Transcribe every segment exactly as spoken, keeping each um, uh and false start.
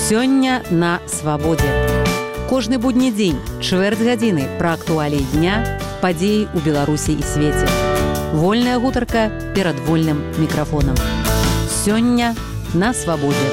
Сёння на свабодзе. Кожны будні дзень, чвэрць гадзіны пра актуаліі дня, падзеі ў Беларусі і свеце. Вольная гутарка перад вольным мікрафонам. Сёння на свабодзе.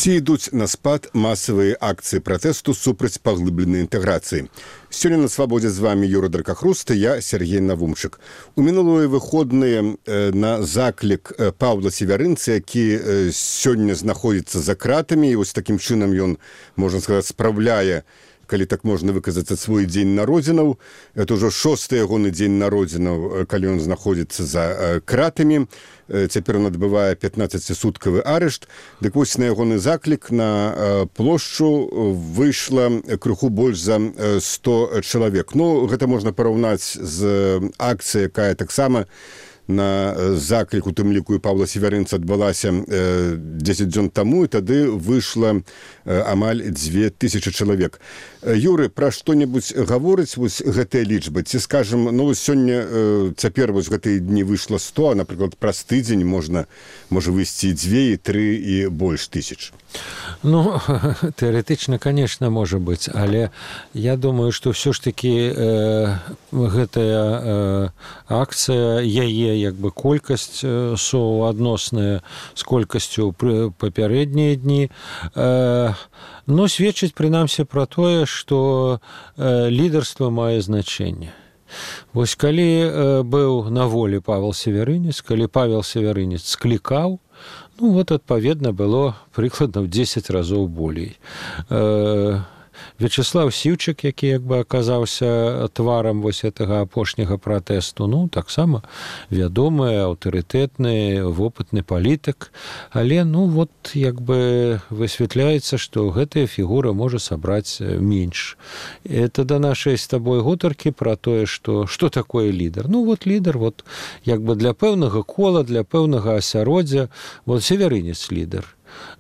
Ці ідуць на спад масавыя акцыі пратэсту супраць паглыбленай інтэграцыі. Сёння на свабодзе з вами Юра Дракахруст, я Сергей Навумчык. У мінулыя выходныя на заклік Паўла Севярынца, які сёння знаходзіцца за кратамі, і вось такім чынам ён, можна сказаць, спраўляе, калі так можна выказаць, свой дзень народзінаў. Это ўжо шосты ягоны дзень народзінаў, калі ён знаходзіцца за кратамі. Цяпер ён адбывае пятнаццацісуткавы арышт. Дык вось на ягоны заклік на плошчу выйшла крыху больш за сто чалавек. Ну, гэта можна параўнаць з акцыяй, якая таксама на заклік, у тым ліку і Паўла Севярынца, адбылася дзесяць дзён таму, і тады выйшла амаль дзве тысячы чалавек. Юры, пра што-небудзь гаворыць вось гэтыя лічбы? Ці, скажам, ну, сёння, цяпер вось гэтыя дні выйшла сто, а, напрыклад, праз тыдзень можна, можа выйсці і дзве, і тры, і больш тысяч. Ну, тэарэтычна, конечно, можа быць, але я думаю, што ўсё ж такі э, гэтая э, акцыя, яе як бы колькасць суадносная з колькасцю папярэднія дні, э, но сведчыць прынамсі пра тое, што э, лідарства мае значэнне. Вось калі э, быў на волі Павел Севярынец, калі Павел Севярынец склікаў, ну вот адпаведна было прыкладна ў дзесяць разоў болей. Э, Вячеслав Сіўчык, які як бы аказаўся тварам вось гэтага апошняга пратэсту, ну, таксама вядомы, аўтарытэтны, вопытны палітык, але, ну, вот, як бы высвятляецца, што гэтая фігура можа сабраць менш. Это да нашай з табой гутаркі пра тое, што што такое лідар. Ну, вот лідар, вот, як бы для пэўнага кола, для пэўнага асяроддзя, вот Севярынец лідар.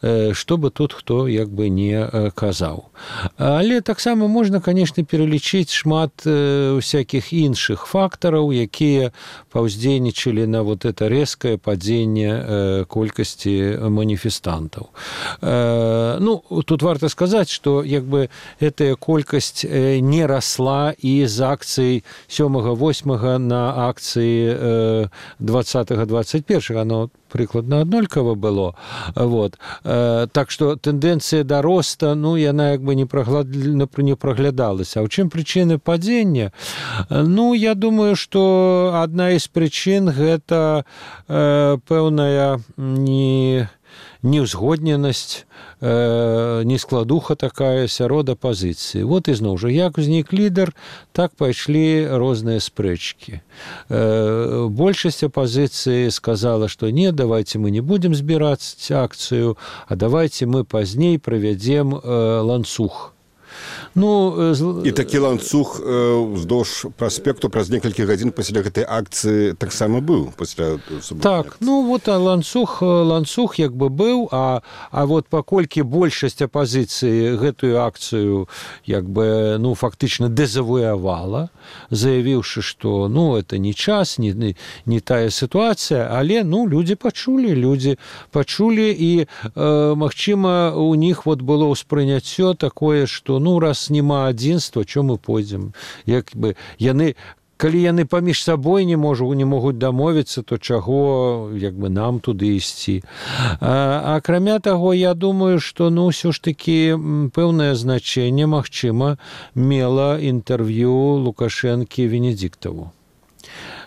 Што бы тут хто як бы не казаў. Але таксама можна, конечно, пералічыць шмат всякіх іншых фактараў, якія паўздзейнічалі на вот это рэзкае падзенне колькасці маніфестантаў. Ну, тут варта сказаць, што як бы гэтая колькасць не расла і з акцый сёмага восьмага на акцыі двадцатага двадцать першага, оно прыкладна аднолькава было. Вот. Так што тэндэнцыя да роста, ну, яна як бы не праглядалася. А ў чым прычыны падзення? Ну, я думаю, што адна з прычын гэта э, пэўная не... неўзгодненасць, э, нескладуха такая сярод апазіцыі. Вот ізноў жа, як узнік лідар, так пайшлі розныя спрэчкі. Э, большасць апазіцыі сказала, што не, давайте мы не будем збіраць акцыю, а давайте мы пазней правядзем э, ланцуг. Ну, і такі ланцуг уздоўж праспекту праз некалькі гадзін пасля гэтай акцыі таксама быў пасля суботнай. Так, ну вот ланцуг ланцуг як бы быў, а а вот паколькі большасць апазіцыі гэтую акцыю як бы ну фактычна дэзавуявала, заявіўшы, што ну это не час, не не, не тая сітуацыя, але ну людзі пачулі, людзі пачулі і э, магчыма у них вот было ўспрыняццё такое, што ну раз няма адзінства, чо мы пойдзем? Як бы яны, калі яны паміж сабой не можу, не могуць дамовіцца, то чаго як бы нам туды ісці? А, акрамя таго, я думаю, што ну ўсё ж такі пэўнае значэнне, магчыма, мела інтэрв'ю Лукашэнкі Венедзіктаву.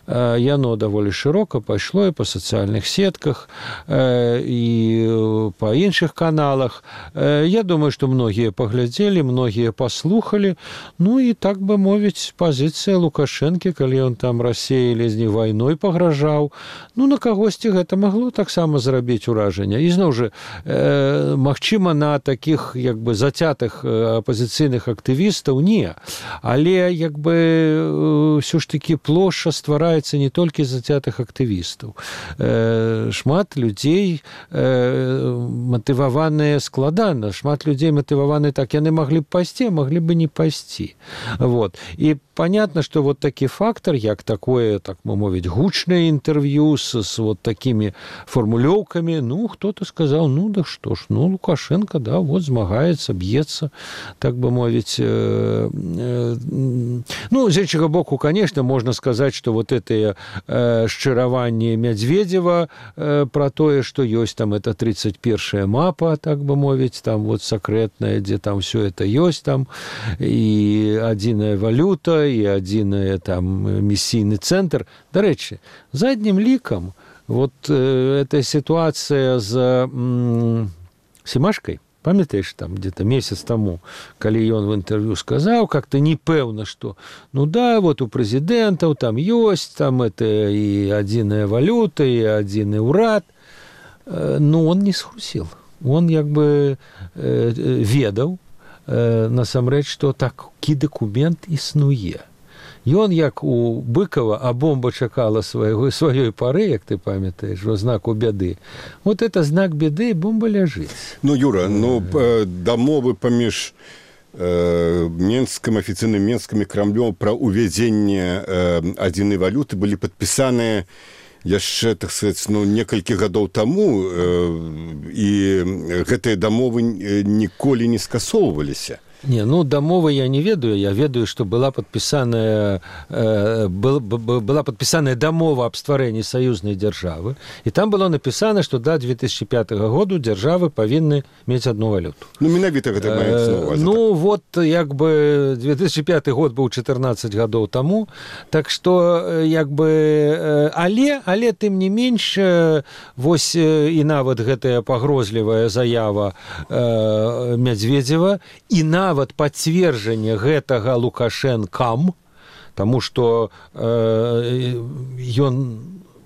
Яно даволі шырока пайшло і па сацыяльных сетках, і па іншых каналах. Я думаю, што многія паглядзелі, многія паслухалі. Ну і так бы мовіць, пазіцыя Лукашэнкі, калі ён там Расіі ледзь не вайной пагражаў, ну на кагосьці гэта магло таксама зрабіць уражанне. І зноў жа, магчыма, на такіх як бы зацятых апазіцыйных актывістаў не. Але як бы ўсё ж такі плошча стварае не толькі зацятых актывістаў. Э, шмат людзей э, матываваныя складана, шмат людзей матываваны так, яны маглі б пайсці, а маглі бы не пайсці. Вот. І понятно, что вот такі фактор, як такое, так мы мовіць, гучнае інтэрв'ю с, с вот такими формулёўкамі, ну, кто-то сказал, ну, да что ж, ну, Лукашенко, да, вот змагаецца, б'ецца, так бы мовіць. Э, э, ну, з іншага боку, конечно, можно сказать, что вот это э, шчыраванне Медведева э, про тое, что ёсць там это тридцать первая мапа, так бы мовіць, там вот секретная, где там все это ёсць, там и адзіная валюта, и адзіная там миссийный центр. Дарэчы, задним ликом вот э, эта ситуация с м- Семашкой, памятаешь, там где-то месяц тому, калі ён в интервью сказал, как-то непэўна, что ну да, вот у президентов там ёсць, там это и адзіная валюта, и адзіны ўрад, э, но он не схусил. Он як бы э, ведаў, э, насамрэч, што такі дакумент існуе. Ён, як у Быкова, а бомба чакала свайго, сваёй пары, як ты памятаеш, во знаку бяды. Вот это знак бяды, і бомба ляжыць. Ну, Юра, ну, дамовы паміж э, Менскім, афіцыйным Менскім і Крамлём пра ўвядзенне э, адзінай валюты былі падпісаныя яшчэ, так сказаць, ну, некалькі гадоў таму, э, і гэтыя дамовы ніколі не скасоўваліся. Не, ну, дамовы я не ведаю, я ведаю, что была подписанная, э, был, была подписанная дамова об стварэнні саюзнай дзяржавы, и там было написано, что до две тысячи пятого году дзяржавы павінны мець одну валюту. Ну, менавіта гэта маецца на ўвазе. Ну, так. Вот, як бы, две тысячи пятый год быў четырнадцать гадоў таму, так что, як бы, але, але, тым не менш, вось і нават гэтая пагрозлівая заява э, Медведева, і нават нават пацверджанне гэтага Лукашэнкам, таму што э, ён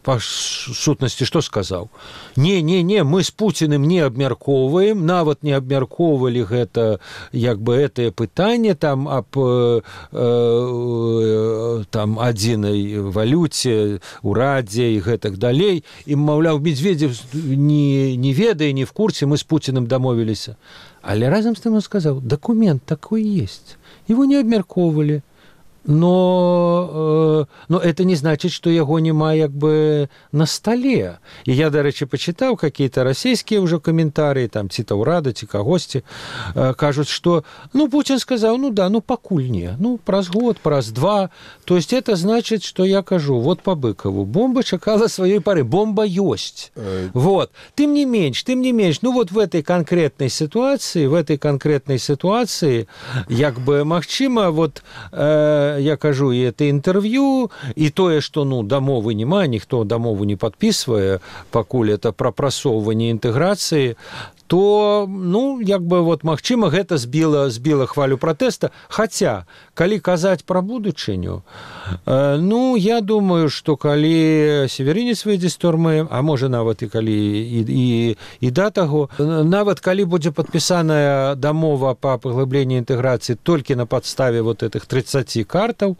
па сутнасці што сказаў? Не, не, не, мы з Пуціным не абмяркоўваем, нават не абмяркоўвалі гэта, як бы, гэтае пытанне там аб э, э, там адзінай валюце, урадзе і гэтак далей. І, маўляў, Медведев не, не ведае, не в курсе, мы з Пуціным дамовіліся. Але разом с тем он сказал, документ такой есть. Его не обмярковывали. Но, э, но это не значит, что его нема як бы на столе. И я, до речи, почитал какие-то российские уже комментарии, там, ці Таурада, ці кагосьці, э, кажут, что, ну, Путин сказал, ну да, ну, покуль не, ну, праз год, праз два. То есть это значит, что я кажу, вот по Быкову, бомба чакала своей поры, бомба есть. Э... Вот. Тем не меньше, тем не меньше, ну, вот в этой конкретной ситуации, в этой конкретной ситуации, як бы, магчыма, вот, э, я кажу, і это інтэрв'ю, і тое, што, ну, дамовы няма, ніхто дамову не падпісвае, пакуль это прапрасоўванне інтэграцыі, то, ну, як бы, вот, магчыма, гэта збіла, збіла хвалю пратэста. Хаця, калі казаць пра будучыню, э, ну, я думаю, што калі Северінец выйдзе з турмы, а можа, нават і калі і, і, і да таго, нават калі будзе падпісаная дамова па паглыбленні інтэграцыі толькі на падставе вот этих тридцать картаў,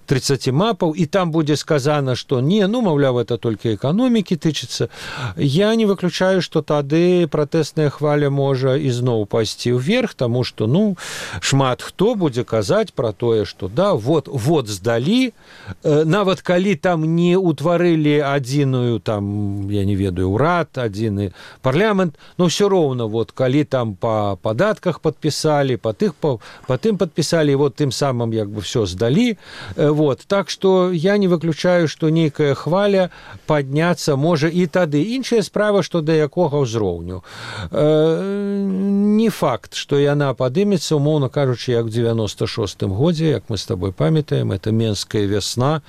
тридцать мапаў, і там будзе сказана, што не, ну, маўляў, это толькі эканомікі тычыцца, я не выключаю, што тады пратэсная хваля можа ізноў пайсці ўверх, таму што, ну, шмат хто будзе казаць пра тое, што да, вот, вот здалі, э, нават калі там не ўтварылі адзіную, там, я не ведаю, ўрад, адзіны парламент, но ўсё роўна, вот, калі там па падатках падпісалі, па тых, па, па тым падпісалі, вот тым самым, як бы, всё здалі, э, вот, так што я не выключаю, што нейкая хваля падняцца можа і тады. Іншая справа, што да якога ўзроўню. Не факт, што яна падымецца, умоўна кажучы, як в девяносто шостым годзе, як мы з табой памятаем, это Менская вясна,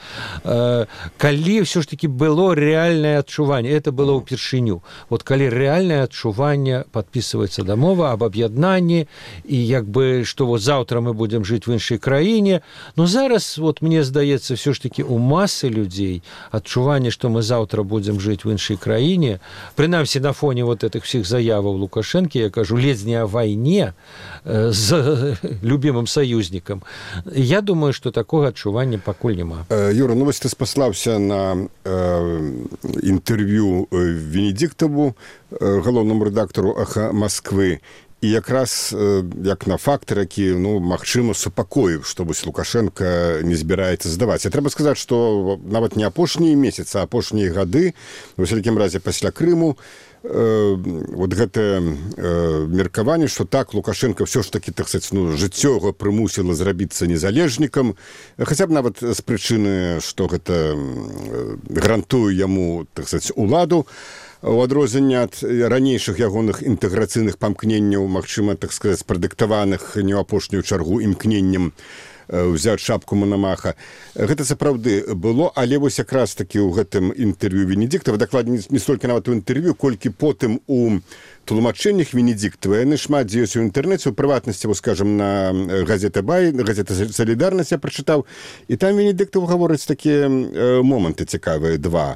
калі ўсё ж таки было рэальнае адчуванне, это было ўпершыню. Вот калі рэальнае адчуванне, падпісваецца дамова аб аб'яднанні, і як бы, што вот заўтра мы будзем жыць в іншай краіне, но зараз, вот мне здаецца, ўсё ж таки у масы людзей адчуванне, што мы заўтра будзем жыць в іншай краіне, прынамсі на фоне вот этих всіх заяваў Лукашенко, я кажу, ледзь не о войне э, з любимым союзнікам. Я думаю, што такога адчування пакуль няма. Юра, ну вось ты спаслаўся на э, інтэрв'ю Венедиктову, э, галоўнаму рэдактару «Аха Москвы», І якраз як на фактор, які, ну, магчыма, супакоіў, што вось Лукашенко не збіраецца здаваць. І трэба сказаць, што нават не апошнія месяцы, а апошнія гады, у всякім разе пасля Крыму, э, вот гэтае э, меркаванне, што так, Лукашенко ўсё ж такі, так сказаць, ну, жыццё яго прымусіла зрабіцца незалежнікам, хаця б нават з прычыны, што гэта гарантуе яму, так сказаць, уладу, у адрозненне ад ранейшых ягоных інтэграцыйных памкненняў, магчыма, так сказаць, прадыктаваных не ў апошнюю чаргу імкненнем ўзяць шапку Мономаха. Гэта сапраўды было, але вось якраз такі ў гэтым інтэрв'ю Венедиктава, дакладней не столькі нават у інтэрв'ю, колькі потым у тлумачэннях Венедиктава, яны шмат дзе ёсць у інтэрнэце, у прыватнасці, вось, скажам, на газета «Бай», газета «Солідарнасць» я прачытаў, і там Венедиктаў гаворыць такія э, моманты цікавыя, два.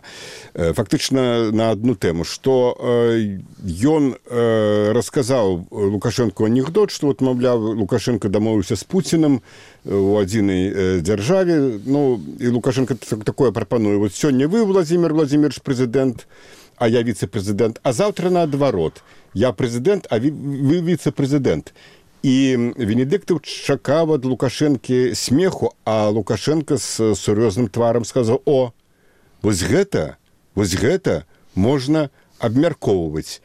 Э, фактычна на адну тэму, што э, ён э, расказаў Лукашенко анекдот, што, вот, маўляў, Лукашенко дамовіўся з Пуцінам у адзінай э, дзяржаве, ну, і Лукашенко такое прапануе. Вот сёння вы, Владимир Владимирович, прэзідэнт, а я віцэ-прэзідэнт, а заўтра наадварот. Я прэзідэнт, а вы віцэ-прэзідэнт. І Венедиктаў чакаў ад Лукашэнкі смеху, а Лукашенко з сур'ёзным тварам сказаў: «О, вось гэта, вось гэта можна абмяркоўваць».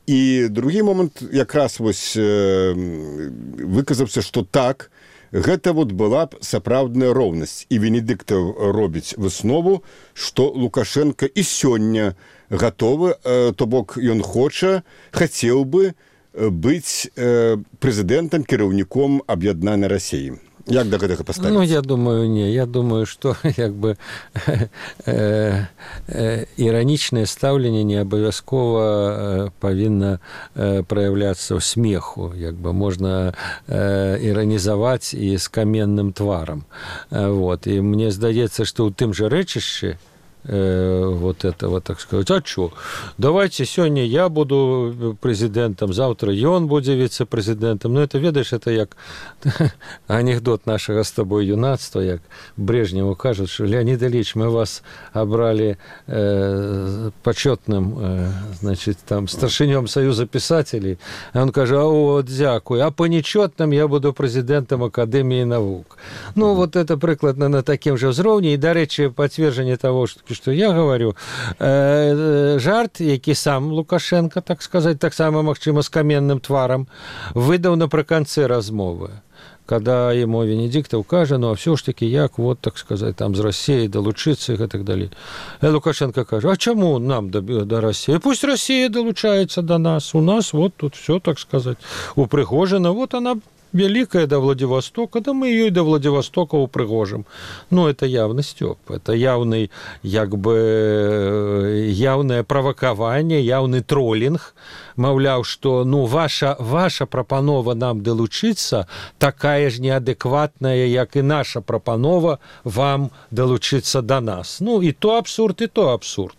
І другі момант якраз вось э, выказаўся, што так, гэта вот была б сапраўдная роўнасць. І Венедиктаў робіць выснову, што Лукашенко і сёння гатовы, э, то бок ён хоча, хацеў бы быць э, прэзідэнтам, кіраўніком аб'яднанай Расіі. Як да гэтага паставіцца? Ну, я думаю, не. Я думаю, што як бы э, э, іранічнае стаўленне не абавязкова э, павінна э, праяўляцца ў смеху. Як бы можна э, іранізаваць і з каменным тварам. Э, вот. І мне здаецца, што ў тым жа рэчышчы вот этого, так сказать, а что? Давайте сегодня я буду президентом, завтра он будет вице-президентом. Ну, это, ведаешь, это як анекдот нашего с тобой юнацтва, як Брежневу кажут, что Леонид Ильич, мы вас обрали э, почетным, э, значит, там, старшинем Союза писателей. А он кажет, а вот, дякую, а по нечетным я буду президентом Академии наук. Ну, вот это прикладно на таким же ўзроўні. И, до речи, подтверждение того, что что я говорю, э, жарт, які сам Лукашенко, так сказать, так само, магчыма, з каменным тварам, выдаў напрыканцы размовы, когда ему Венедиктов кажа, ну, а все ж таки, як, вот, так сказать, там, з Россией долучиться и так далее. И Лукашенко кажа, а чему нам до, до России? Пусть Россия долучается до нас. У нас вот тут все, так сказать, упрыгожено. Вот она великая до Владивостока, да мы ее и до Владивостока упрыгожим. Ну, это явный стёб, это явный, як бы, явное провокаванне, явный троллинг. Маўляў, што, ну, ваша, ваша прапанова нам далучыцца такая ж неадэкватная, як і наша прапанова вам далучыцца да нас. Ну, і то абсурд, і то абсурд.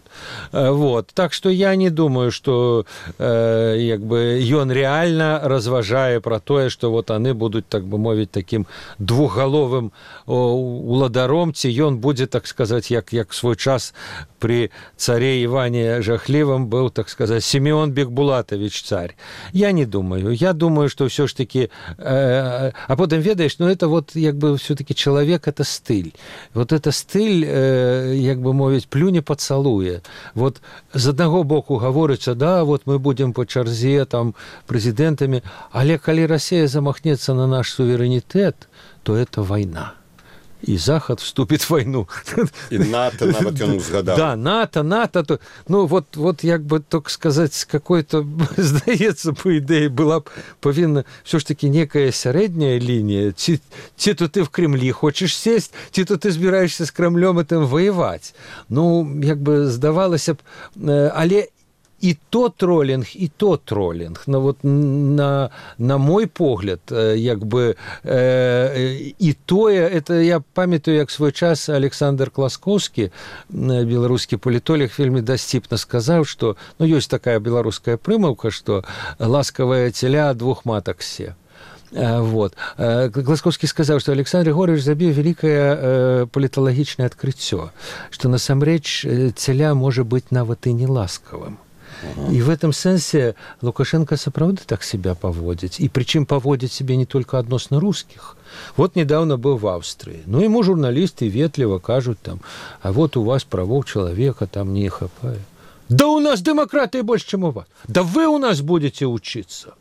Вот. Так что я не думаю, что э, як бы, ён реально разважае про тое, что вот они будут, так бы мовіць, таким двухголовым уладаром, ці ён будзе, так сказать, як, як свой час при царе Иване Жахливом был, так сказать, Симеон Бекбулатович царь. Я не думаю. Я думаю, что все ж таки... Э, а потом, ведаешь, ну это вот, як бы, все-таки человек, это стыль. Вот это стыль, э, як бы мовіць, плюне поцалуе. Вот з аднаго боку гаворыцца, да, вот мы будем по чарзе там прэзідэнтамі, але калі Россия замахнется на наш суверэнітэт, то это война. И Захад вступит в войну. И НАТО, нават ён узгадаў. Да, НАТО, НАТО. То, ну, вот, вот, як бы, так сказать, какой-то, здаецца, по идее, была б павінна все ж таки некая сярэдняя линия. Ці, ці то ты в Кремлі хочешь сесть, ці то ты збираешься с Кремлем этим воевать. Ну, як бы, здавалася б, але и то троллинг, и то троллинг. Но вот на, на мой погляд, як бы, э, и тое, это я памятаю, як свой час Александр Класкоўскі, беларускі палітолог, вельмі дасціпна сказаў, что, ну, ёсць такая беларуская прымаўка, что ласкавая теля двух матак се. Вот. Класкоўскі сказаў, што Александр Григорьевич забіў вялікае паліталагічнае адкрыццё, што насамрэч целя можа быць нават і не ласкавым. И в этом сенсе Лукашенко сапраўды так себя поводит. И причем поводит себя не только относно русских. Вот недавно был в Австрии. Ну, ему журналисты ветливо кажут там, а вот у вас правов человека там не хапает. Да у нас демократии больше, чем у вас. Да вы у нас будете учиться.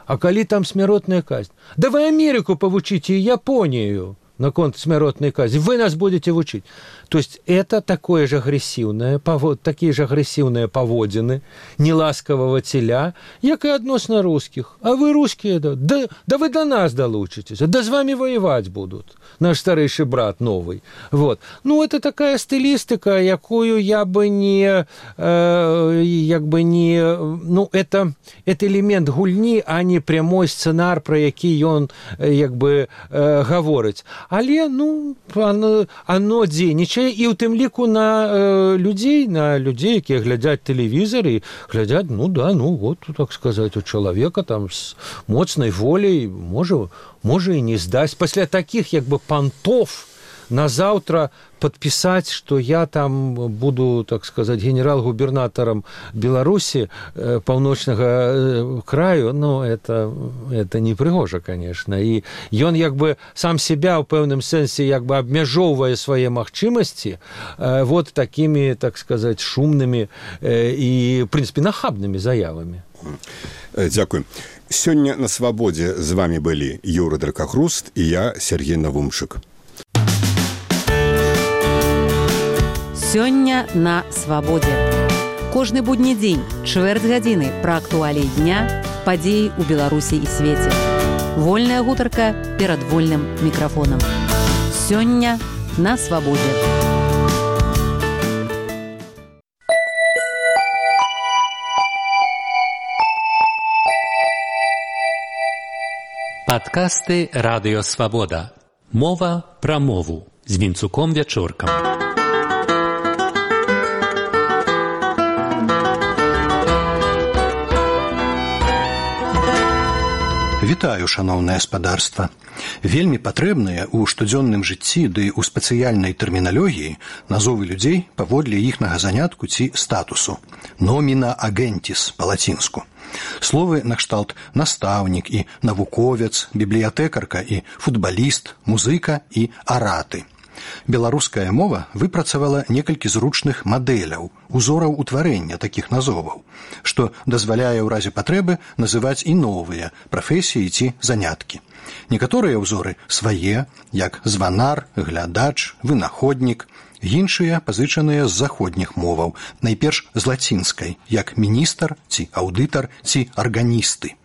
А коли там смертная казнь? Да вы Америку повучите и Японию на конт смертной казни. Вы нас будете учить. То есть это такое же агрессивное, такие же агрессивные поводины неласкового теля, як и относно русских. А вы русские, да, да, да вы до нас долучитесь, да с вами воевать будут. Наш старейший брат новый. Вот. Ну, это такая стилистика, якую я бы не, э, як бы не, ну, это, это элемент гульни, а не прямой сценар, про який он, як бы, э, говорить. Але, ну, оно, оно дзейнічае, і ў тым ліку на э, людзей, на людзей, якія глядзяць тэлевізор і глядзяць, ну да, ну вот, так сказаць, у чалавека там з моцнай волей можа, можа і не здаць. Пасля такіх, як бы, пантов на заўтра подписать, что я там буду, так сказать, генерал-губернатором Беларуси, э, паўночнага э, краю, ну, это, это не прыгожа, конечно. И ён, як бы, сам себя, в пэўным сэнсе, як бы, абмяжоўвае свае магчымасці э, вот такими, так сказать, шумными э, и, в принципе, нахабными заявами. Дякую. Сёння на свабодзе з вами былі Юра Дракахруст і я, Сергей Навумчык. Сёння на свабодзе. Кожны будні дзень, чвэрць гадзіны пра актуаліі дня, падзеі ў Беларусі і свеце. Вольная гутарка перад вольным мікрафонам. Сёння на свабодзе. Падкасты «Радыё Свабода». Мова пра мову з Вінцуком Вячоркам. Вітаю, шаноўнае спадарства. Вельмі патрэбныя ў штодзённым жыцці ды ў спецыяльнай тэрміналогіі назовы людзей паводле іхнага занятку ці статусу. Номіна агентіс па-лацінску. Словы накшталт настаўнік і навуковец, бібліятэкарка і футбаліст, музыка і араты. Беларуская мова выпрацавала некалькі зручных мадэляў, узораў утварэння такіх назоваў, што дазваляе ў разе патрэбы называць і новыя прафесіі ці заняткі. Некаторыя ўзоры свае, як званар, глядач, вынаходнік, іншыя пазычаныя з заходніх моваў, найперш з лацінскай, як міністр ці аўдытар ці арганісты.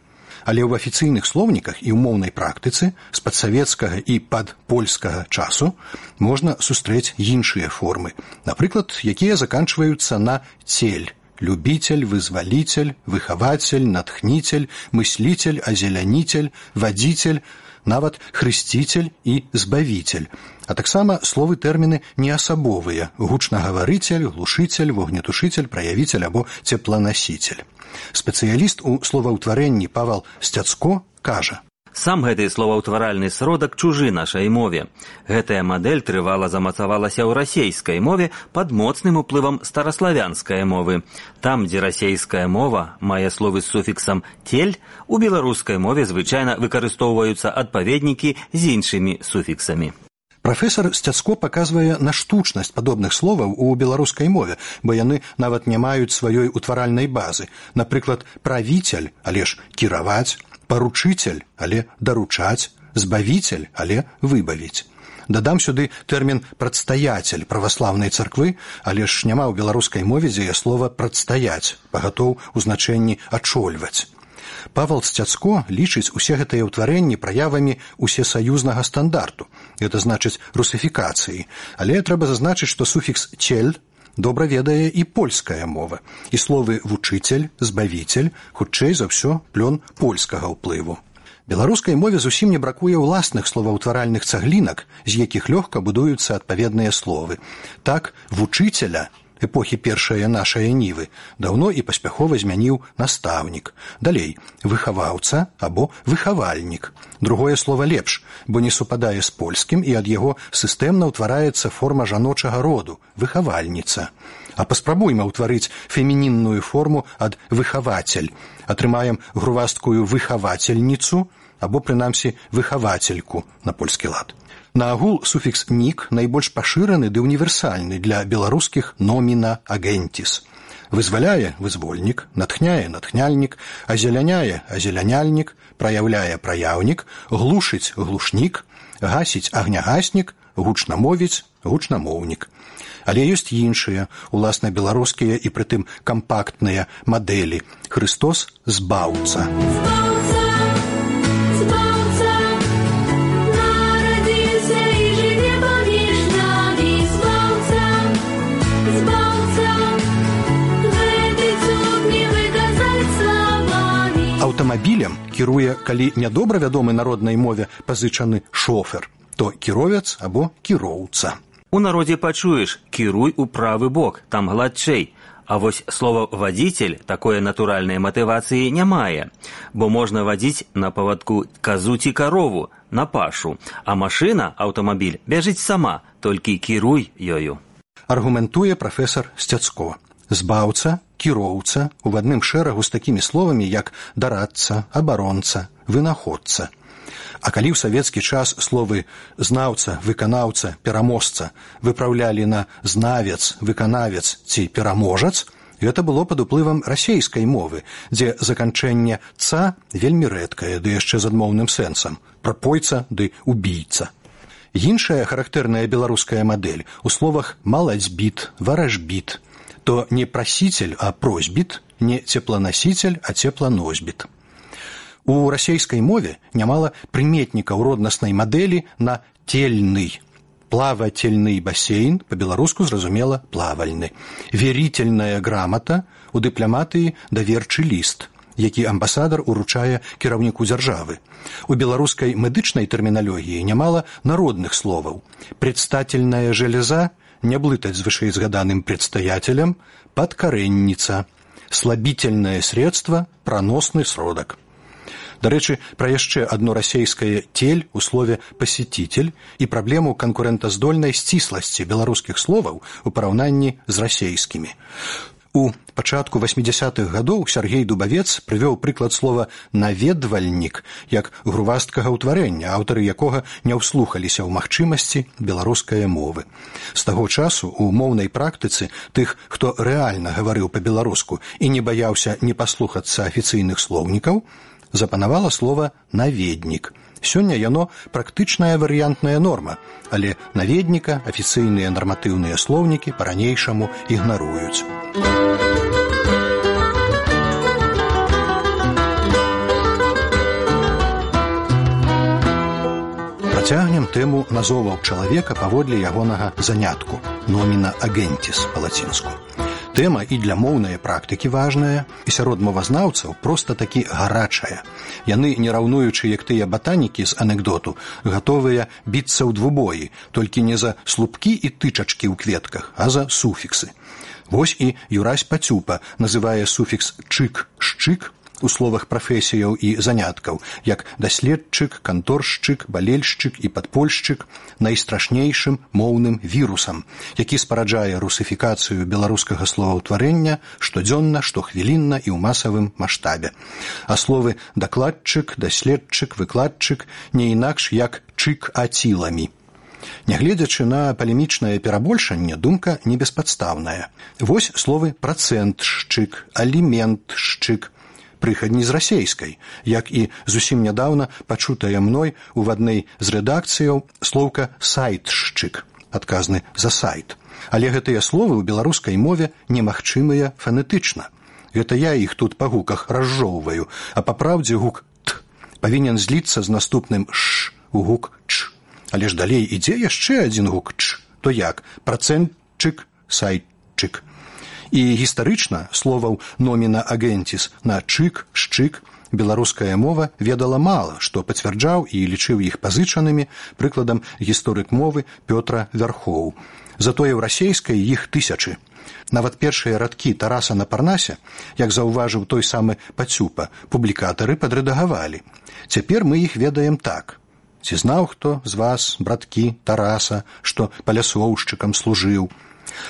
Але ў афіцыйных слоўніках і ў моўнай практыцы з падсавецкага і падпольскага часу можна сустрэць іншыя формы, напрыклад, якія заканчваюцца на цель, любитель, вызвалитель, выхаватель, натхнитель, мыслитель, озеляніцель, вадзіцель, нават хрысціцель і збавіцель, а таксама словы тэрміны неасабовыя: гучнагаварыцель, глушыцель, вогнетушыцель, праявіцель або цепланасіцель. Спецыяліст у словаўтварэнні Павал Сцяцко кажа: Сам гэты словаўтваральны сродак чужы нашай мове. Гэтая мадэль трывала замацавалася ў расейскай мове пад моцным уплывам стараславянскай мовы. Там, дзе расейская мова мае словы з суфіксам «тель», у беларускай мове звычайна выкарыстоўваюцца адпаведнікі з іншымі суфіксамі. Прафесор Сцяцко паказвае на штучнасць падобных словаў у беларускай мове, бо яны нават не маюць сваёй утваральнай базы. Напрыклад, правіцель, але ж кіраваць, паручыцель, але даручаць, збавіцель, але выбавіць. Дадам сюды тэрмін «прадстаяцель» праваслаўнай царквы, але ж няма ў беларускай мове дзеяслова «прадстаяць», пагатоў у значэнні «ачольваць». Павал Сцяцко лічыць усе гэтыя ўтварэнні праявамі усесаюзнага стандарту, гэта значыць русифікацыі, але трэба зазначыць, што суфікс «цель» добра ведае і польская мова, і словы «вучыцель», «збавіцель» хутчэй за ўсё плён польскага ўплыву. Беларускай мове зусім не бракуе ўласных словаўтваральных цаглінак, з якіх лёгка будуюцца адпаведныя словы. Так, «вучыцеля» эпохі першае нашае нівы даўно і паспяхова змяніў настаўнік. Далей выхаваўца або выхавальнік. Другое слова лепш, бо не супадае з польскім і ад яго сістэмна ўтвараецца форма жаночага роду выхавальніца. А паспрабуйма ўтварыць фемінінную форму ад выхавацель. Атрымаем грувасткую выхавацельніцу або, прынамсі, выхавацельку на польскі лад. Наагул суфікс «нік» найбольш пашыраны ды універсальны для беларускіх номіна агентіс. Вызваляе – вызвольнік, натхняе – натхняльнік, азеляняе – азеляняльнік, праяўляе – праяўнік, глушыць – глушнік, гасіць – агнягаснік, гучна мовіць – гучнамоўнік. Але ёсць іншыя, уласна беларускія і прытым кампактныя мадэлі. Хрыстос – збаўца. Аўтамабілем кіруе, калі нядобра вядомы народнай мове пазычаны шофер, то кіровец або кіроўца. У народзе пачуеш «кіруй у правы бок», там гладчэй. А вось слова «вадзіцель» такое натуральнай матывацыі не мае, бо можна вадзіць на павадку казу ці карову, на пашу, а машына, аўтамабіль, бяжыць сама, толькі кіруй ёю. Аргументуе прафесар Сцяцко. Збаўца, кіроўца у адным шэрагу з такімі словамі, як дарадца, абаронца, вынаходца. А калі ў савецкі час словы «знаўца», «выканаўца», «пераможца» выпраўлялі на «знавец», «выканавец» ці «пераможац», гэта было пад уплывам расейскай мовы, дзе заканчэнне «ца» вельмі рэдкае, ды яшчэ з адмоўным сэнсам – прапойца ды убійца. Іншая характэрная беларуская мадэль у словах «маладзьбіт», «варажбіт», то не прасіцель, а просьбіт, не цепланасіцель, а цепланосьбіт. У расейскай мове нямала прыметнікаў роднаснай мадэлі на тельны. Плавательны басейн, па-беларуску зразумела плавальны. Верительная грамата, у дыпламатыі даверчы ліст, які амбасадар уручае кіраўніку дзяржавы. У беларускай медычнай тэрміналогіі нямала народных словаў. Предстательная железа, не блытаць з вышэйзгаданым предстаятелем, падкарэнніца, слабительное средство, праносны сродак. Дарэчы, пра яшчэ адно расейскае «тель» у слове «пасетитель» і праблему канкурэнтаздольнай сцісласці беларускіх словаў у параўнанні з расейскімі. У пачатку васьмідзясятых гадоў Сяргей Дубавец прывёў прыклад слова «наведвальнік» як грувасткага ўтварэння, аўтары якога не ўслухаліся ў магчымасці беларускай мовы. З таго часу у моўнай практыцы тых, хто рэальна гаварыў па-беларуску і не баяўся не паслухацца афіцыйных слоўнікаў, запанавала слова «наведнік». Сёння яно практычная варыянтная норма, але наведніка афіцыйныя нарматыўныя слоўнікі па-ранейшаму ігнаруюць. Працягнем тэму назоваў чалавека паводле ягонага занятку – номіна агентіс па-лацінску. Тэма і для моўнай практыкі важная, і сярод мовазнаўцаў проста такі гарачая. Яны, не раўнуючы, як тыя батанікі з анекдоту, гатовыя біцца ў двубоі, толькі не за слупкі і тычачкі ў кветках, а за суфіксы. Вось і Юрась Пацюпа называе суфікс «чык», «шчык» у словах прафесіяў і заняткаў, як даследчык, канторшчык, балельшчык і падпольшчык найстрашнейшым моўным вірусам, які спараджае русыфікацыю беларускага словаўтварэння штодзённа, штохвілінна і ў масавым маштабе. А словы дакладчык, даследчык, выкладчык не інакш як чык-аціламі. Нягледзячы на палемічнае перабольшанне, думка не беспадстаўная. Вось словы працэнтшчык, аліментшчык, прыхадні з расейскай, як і зусім нядаўна пачутая мной у адной з рэдакцыяў слоўка «сайтшчык», адказны за сайт. Але гэтыя словы ў беларускай мове немагчымыя фанетычна. Гэта я іх тут па гуках разжоўваю, а па праўдзе гук «т» павінен зліцца з наступным «ш» у гук «ч». Але ж далей ідзе яшчэ адзін гук «ч», то як працэнтчык, сайтчык. І гістарычна словаў номіна агентіс на чык, шчык беларуская мова ведала мала, што пацвярджаў і лічыў іх пазычанымі, прыкладам гісторык мовы Пётра Вярхоў. Затое ў расейскай іх тысячы. Нават першыя радкі Тараса на Парнасе, як заўважыў той самы Пацюпа, публікатары падрэдагавалі. Цяпер мы іх ведаем так. Ці знаў хто з вас, браткі Тараса, што паляслоўшчыкам служыў?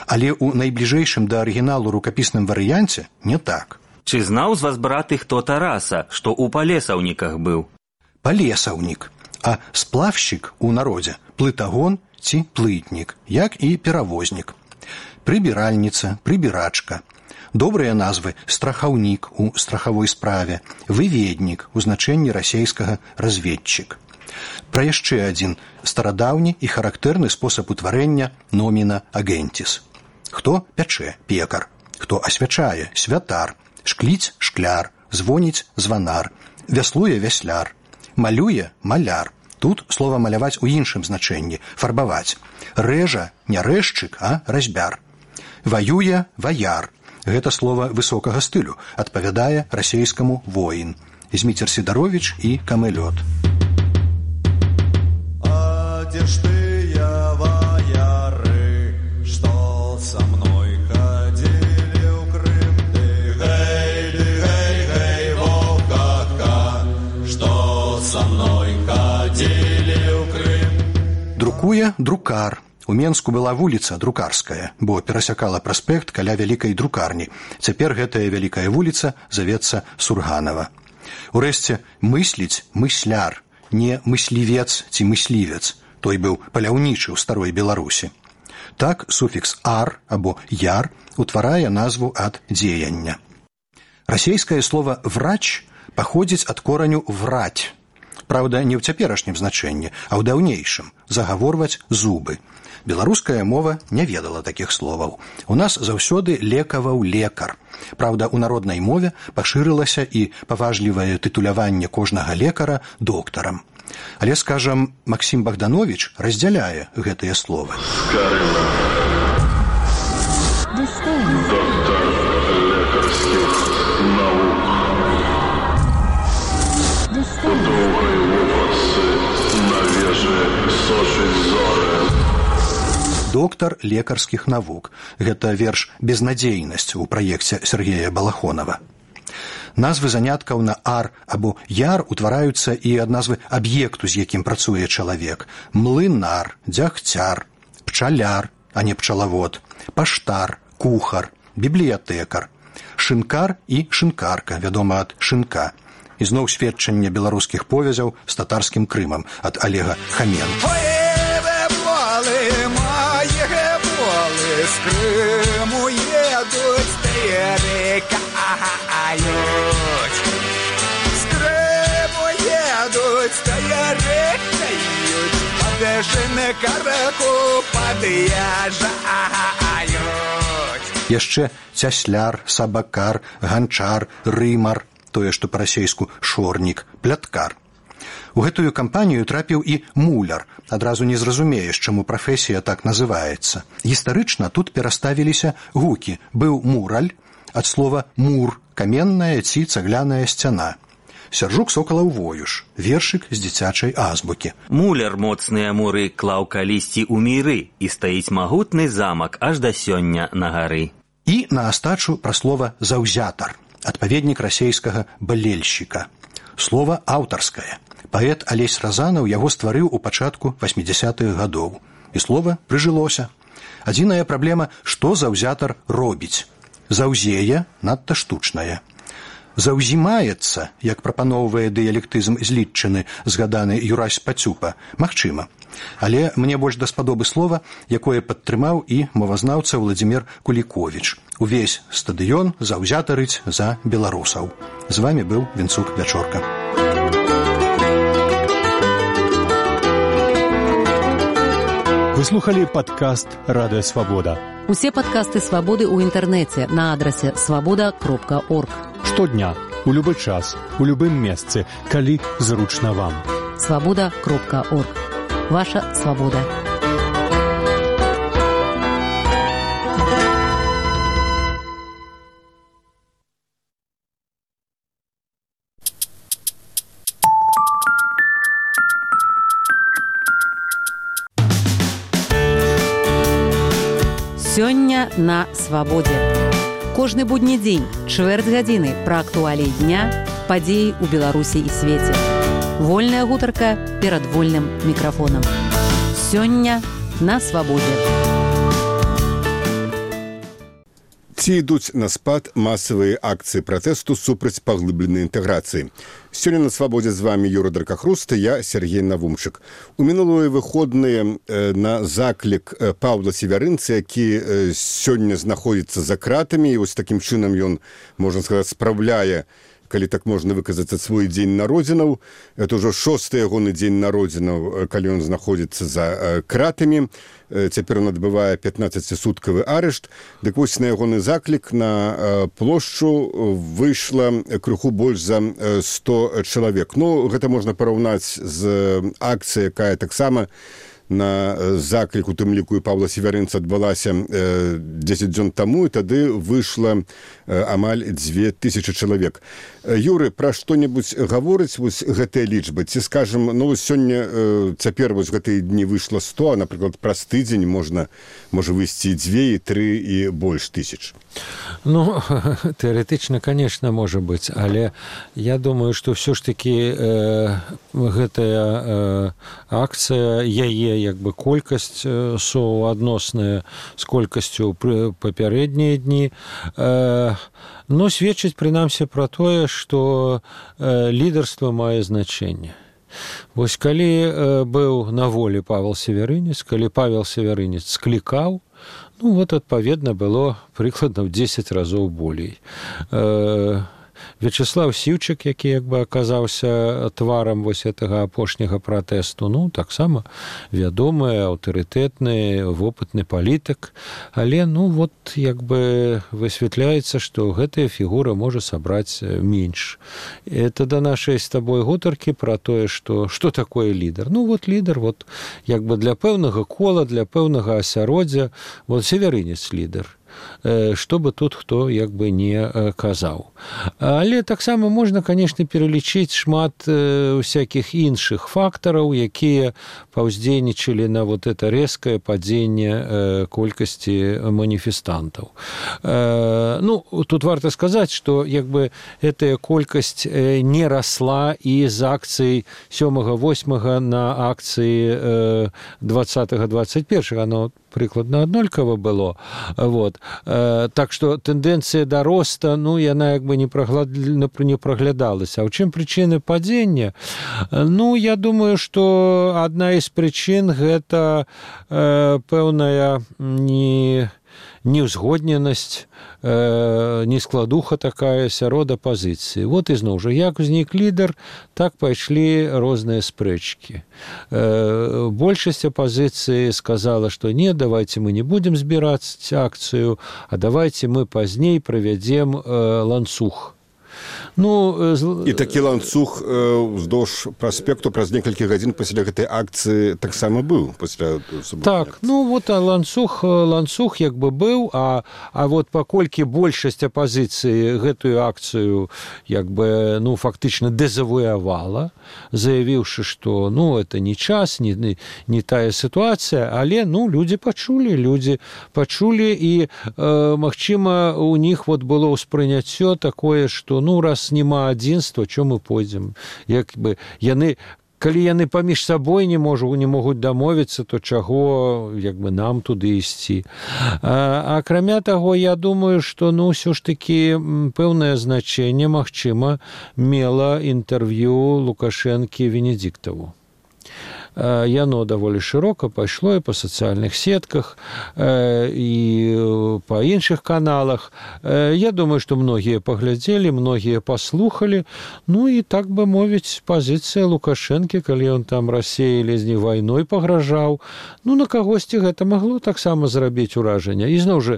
Але ў найбліжэйшым да арыгіналу рукапісным варыянце не так. Ці знаў з вас, браты, хто Тараса, што ў палесаўніках быў? Палесаўнік, а сплавшчык у народзе плытагон ці плытнік, як і перавознік. Прыбіральніца, прыбірачка. Добрыя назвы страхаўнік у страхавой справе, выведнік у значэнні расейскага разведчык. Пра яшчэ адзін старадаўні і характэрны спосаб утварэння номіна агентіс. Хто пячэ – пекар, хто асвячае – святар, шкліць – шкляр, звоніць – званар, вяслуе – вясляр, малюе – маляр. Тут слова маляваць у іншым значэнні – фарбаваць. Рэжа – не рэзчык, а разьбяр. Ваюе – ваяр. Гэта слова высокага стылю, адпавядае расейскаму воін. Зміцер Сідаровіч і Камэлёт. А дзе ж тыя ваяры, што са мной хадзілі ў Крым? Ты гэй, ты гэй, гэй, вовка, што са мной хадзілі ў Крым? Друкуе друкар. У Менску была вуліца Друкарская, бо перасякала праспект каля вялікай друкарні. Цяпер гэтая вялікая вуліца завецца Сурганава. Урэшце, мысліць мысляр, не мыслівец ці мыслівец. Той быў паляўнічы ў старой Беларусі. Так суфікс «ар» або «яр» утварае назву ад дзеяння. Расейскае слова «врач» паходзіць ад кораню «враць». Праўда, не ў цяперашнім значэнні, а ў даўнейшым – загаворваць зубы. Беларуская мова не ведала такіх словаў. У нас заўсёды лекаваў лекар. Праўда, у народнай мове пашырылася і паважлівае тытуляванне кожнага лекара доктарам. Але, скажам, Максім Богданович раздзяляе гэтыя словы. Доктор лекарскіх наук. У доўгай вопратцы на вежы сочыць зоры. Доктар лекарскіх навук. Гэта верш «Безнадзейнасць» у праекце Сергея Балахонова. Назвы заняткаў на «ар» або «яр» утвараюцца і ад назвы аб'екту, з якім працуе чалавек. Млынар, дзягцяр, пчаляр, а не пчалавод, паштар, кухар, бібліятэкар, шынкар і шынкарка, вядома ад шынка. І зноў сведчанне беларускіх повязяў з татарскім Крымам ад Олега Хаменко. З Криму едуть, перекають. З Криму едуть, перекають. Подешене караку под'язджають. Яшчэ цясляр, сабакар, ганчар, рымар, тое, што па-расейску шорнік, пляткар. У гэтую кампанію трапіў і муляр. Адразу не зразумееш, чаму прафесія так называецца. Гістарычна тут пераставіліся гукі. Быў мураль, ад слова «мур» – каменная ці цагляная сцяна. Сяржук Сокалаў Воюш, вершык з дзіцячай азбукі. Муляр моцныя муры клаў калісьці ў міры, і стаіць магутны замак аж да сёння на гары. І на астачу пра слова «заўзятар», адпаведнік расейскага «балельшчыка». Слова аўтарскае. Паэт Алесь Разанаў яго стварыў у пачатку васьмідзясятых гадоў. І слова прыжылося. Адзіная праблема, што заўзятар робіць. Заўзее надта штучнае. Заўзімаецца, як прапаноўвае дыялектызм злітчыны, згаданы Юрась Пацюпа, магчыма. Але мне больш даспадобы слова, якое падтрымаў і мовазнаўца Владзімір Куліковіч. Увесь стадыён заўзятарыць за беларусаў. З вамі быў Вінцук Вячорка. Вы слухали падкаст «Радыё Свабода». Усе падкасты «Свабоды» ў інтэрнэце на адрасе свабода кропка орг. Штодня, у любы час, у любым месцы, калі зручна вам. свабода кропка орг. Ваша свабода. Сёння на свабодзе. Кожны будні дзень, чвэрць гадзіны пра актуаліі дня, падзеі ў Беларусі і свеце. Вольная гутарка перад вольным мікрафонам. Сёння на свабодзе. Ці ідуць на спад масавыя акцыі пратэсту супраць паглыбленай інтэграцыі. Сёння на свабодзе з вами Юра Дракахруста, я Сергей Навумчык. У мінулыя выходныя на заклік Паўла Севярынца, які сёння знаходзіцца за кратамі, і вось такім чынам ён, можна сказаць, спраўляе, калі так можна выказацца, свой дзень народзінаў. Это ўжо шосты ягоны дзень народзінаў, калі ён знаходзіцца за кратамі. Цяпер он адбывае пятнаццацісуткавы арышт. Дык вось на ягоны заклік на плошчу выйшла крыху больш за сто чалавек. Ну, гэта можна параўнаць з акцыяй, якая таксама на заклік, у тым ліку і Паўла Севярынца, адбылася дзесяць дзён таму, і тады выйшла амаль дзве тысячы чалавек. Юры, пра што-небудзь гаворыць вось гэтыя лічбы? Ці, скажам, ну, сёння, цяпер вось гэтыя дні выйшла сто, а, напрыклад, праз тыдзень можна, можа выйсці і дзве, і тры, і больш тысяч. Ну, тэарэтычна, конечно, можа быць, але я думаю, што ўсё ж такі э, гэтая э, акцыя, яе як бы колькасць суадносная з колькасцю папярэднія дні, э, но сведчыць прынамсі пра тое, што э, лідарства мае значэнне. Вось калі э, быў на волі Павел Севярынец, калі Павел Севярынец склікаў, ну, вот, адпаведна, было прыкладна ў дзесяць разоў болей. Э, Вячеслав Сіўчык, які як бы аказаўся тварам вось гэтага апошняга пратэсту, ну, таксама вядомы, аўтарытэтны, вопытны палітык, але, ну, вот, як бы высвятляецца, што гэтая фігура можа сабраць менш. Это да нашай з табой гутаркі пра тое, што што такое лідар. Ну, вот лідар, вот, як бы для пэўнага кола, для пэўнага асяроддзя, вот Севярынец лідар. Што бы тут хто як бы не казаў. Але таксама можна, конечно, пералічыць шмат всякіх іншых фактараў, якія паўздзейнічалі на вот это рэзкае падзенне колькасці маніфестантаў. Ну, тут варта сказаць, што як бы гэтая колькасць не расла і з акцый сёмага восьмага на акцыі двадцатага двадцать першага, оно прыкладна аднолькава было. Вот. Так што тэндэнцыя да роста, ну, яна як бы не праглядалася. А ў чым прычыны падзення? Ну, я думаю, што адна з прычын гэта э, пэўная не... неўзгодненасць, э, нескладуха такая сярод апазіцыі. Вот ізноў жа, як узнік лідар, так пайшлі розныя спрэчкі. Э, большасць апазіцыі сказала, што не, давайте мы не будем збіраць акцыю, а давайте мы пазней правядзем э, ланцуг. Ну, і такі ланцуг уздоўж праспекту праз некалькі гадзін пасля гэтай акцыі таксама быў пасля суботнай. Так, ну вот ланцуг ланцуг як бы быў, а а вот паколькі большасць апазіцыі гэтую акцыю як бы ну фактычна дэзавуявала, заявіўшы, што ну это не час, не не тая сітуацыя, але ну людзі пачулі, людзі пачулі і э, магчыма у них вот было ўспрыняццё такое, што ну раз няма адзінства, чо мы пойдзем, як бы яны, калі яны паміж сабой не можу не могуць дамовіцца, то чаго як бы нам туды ісці. А, акрамя таго, я думаю, што ну ўсё ж такі пэўнае значэнне магчыма мела інтэрв'ю Лукашэнкі Венедзіктаву. Яно даволі шырока пайшло і па сацыяльных сетках, і па іншых каналах. Я думаю, што многія паглядзелі, многія паслухалі. Ну і так бы мовіць, пазіцыя Лукашэнкі, калі ён там Расіі ледзь не вайной пагражаў, ну на кагосьці гэта магло таксама зрабіць уражанне. І зноў жа,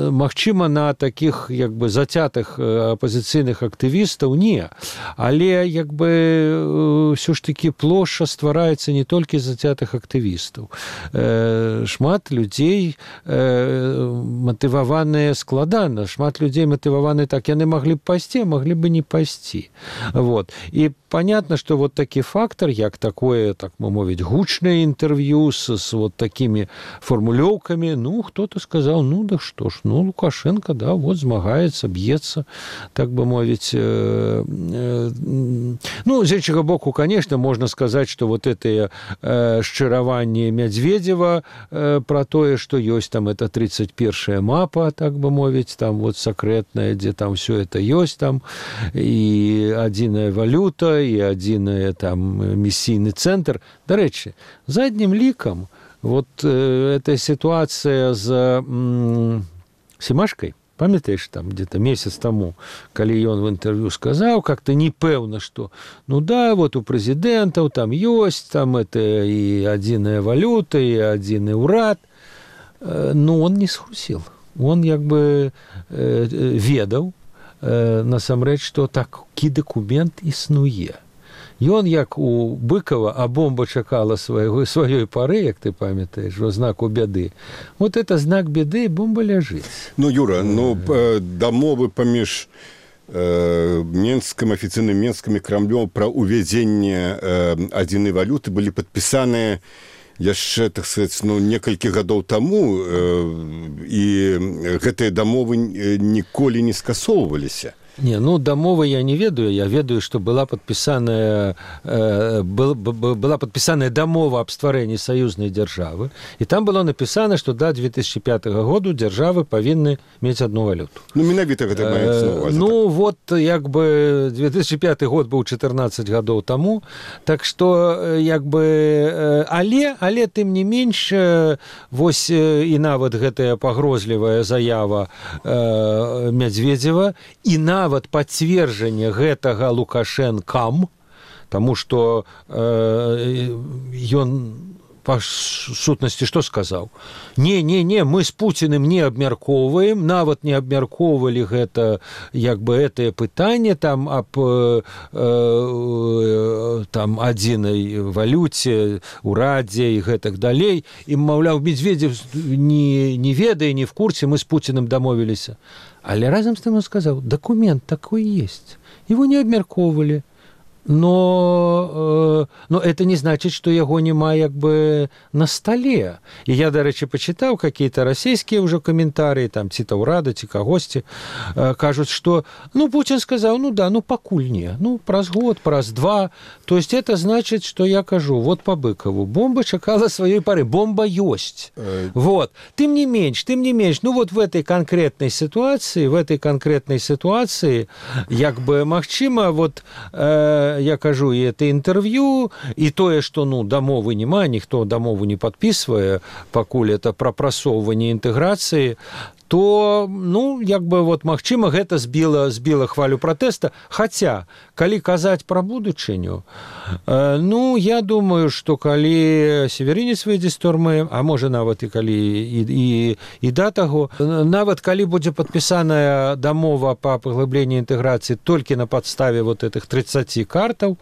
магчыма, на такіх як бы зацятых апазіцыйных актывістаў не. Але як бы ўсё ж такі плошча стварае адбываецца не толькі зацятых актывістаў. Э, шмат людзей э, матываваныя складана, шмат людзей матываваны так, яны маглі б пайсці, маглі бы не пайсці. Вот. І понятно, что вот такі фактор, як такое, так мы мовіць, гучнае інтэрв'ю с, с вот такими формулёўкамі, ну, кто-то сказал, ну, да что ж, ну, Лукашенко, да, вот змагаецца, б'ецца, так бы мовіць. Э, э, ну, з іншага боку, конечно, можно сказать, что вот это э, шчыраванне Медведева э, про тое, что ёсць там это тридцать первая мапа, так бы мовіць, там вот секретная, где там все это ёсць, там и адзіная валюта, и адзіная там миссийный центр. Дарэчы, задним ликом вот э, эта ситуация с м, Семашкой, памятаешь, там где-то месяц тому, калі ён в интервью сказал, как-то непэўна, что ну да, вот у президентов там есть, там это и адзіная валюта, и адзіны ўрад, э, но он не схусил. Он як бы э, ведаў, э, насамрэч, што такі дакумент існуе. Ён, як у Быкова, а бомба чакала свайго, сваёй пары, як ты памятаеш, во знаку бяды. Вот это знак бяды, бомба ляжыць. Ну, Юра, ну, дамовы паміж э, Менскім, афіцыйным Менскім і Крамлём пра ўвядзенне э, адзінай валюты былі падпісаныя яшчэ, так сказаць, ну, некалькі гадоў таму, э, і гэтыя дамовы ніколі не скасоўваліся. Не, ну, дамовы я не ведаю. Я ведаю, что была подписанная, э, был, была подписанная дамова об стварэнні саюзнай дзяржавы, и там было написано, что до две тысячи пятого году дзяржавы павінны мець одну валюту. Ну, менавіта гэта маецца на увазе. Ну, вот, як бы, две тысячи пятый год быў четырнадцать гадоў таму, так что, як бы, але, але, тым не менш, вось і нават гэтая пагрозлівая заява э, Медведева, і нават нават пацверджанне гэтага Лукашэнкам, таму што э, ён па сутнасці што сказаў? Не, не, не, мы з Пуціным не абмяркоўваем, нават не абмяркоўвалі гэта, як бы, гэтае пытанне там аб э, э, там адзінай валюце, урадзе і гэтак далей. І, маўляў, Медведев не, не ведае, не в курсе, мы з Пуціным дамовіліся. Але разом с тем он сказал, документ такой есть. Его не обмяркоўвалі. Но, э, но это не значит, что яго няма як бы на столе. И я, дарэчы, почитал какие-то российские уже комментарии, там, ці Таўрада, ці кагосьці, э, кажут, что, ну, Путин сказал, ну да, ну, пакуль не, ну, праз год, праз два. То есть это значит, что я кажу, вот по Быкову, бомба чакала своей поры, бомба есть. Э... Вот. Тым не менш, тым не менш, ну, вот в этой конкретной ситуации, в этой конкретной ситуации, як бы, магчыма, вот, э, я кажу, і это інтэрв'ю, і тое, што, ну, дамовы няма, ніхто дамову не падпісвае, пакуль это прапрасоўванне інтэграцыі, то, ну, як бы, вот, магчыма, гэта збіла, збіла хвалю пратэста. Хаця, калі казаць пра будучыню, э, ну, я думаю, што калі Северінец выйдзе з турмы, а можа, нават і калі і, і, і да таго, нават калі будзе падпісаная дамова па паглыбленні інтэграцыі толькі на падставе вот этих тридцати картаў,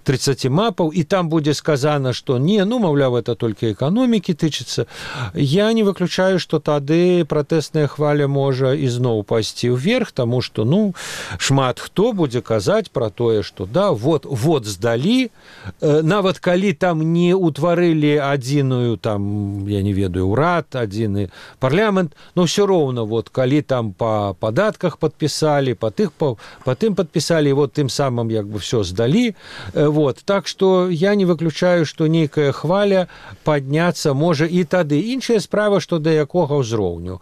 тридцати мапаў, і там будзе сказана, што не, ну, маўляў, это толькі эканомікі тычыцца, я не выключаю, што тады пратэсная хваля можа ізноў пайсці ўверх, таму што, ну, шмат хто будзе казаць пра тое, што да, вот, вот здалі, э, нават калі там не ўтварылі адзіную, там, я не ведаю, ўрад, адзіны парламент, но ўсё роўна, вот, калі там па падатках падпісалі, па тых, па, па тым падпісалі, вот, тым самым, як бы, всё здалі, э, вот, так што я не выключаю, што нейкая хваля падняцца можа і тады. Іншая справа, што да якога ўзроўню.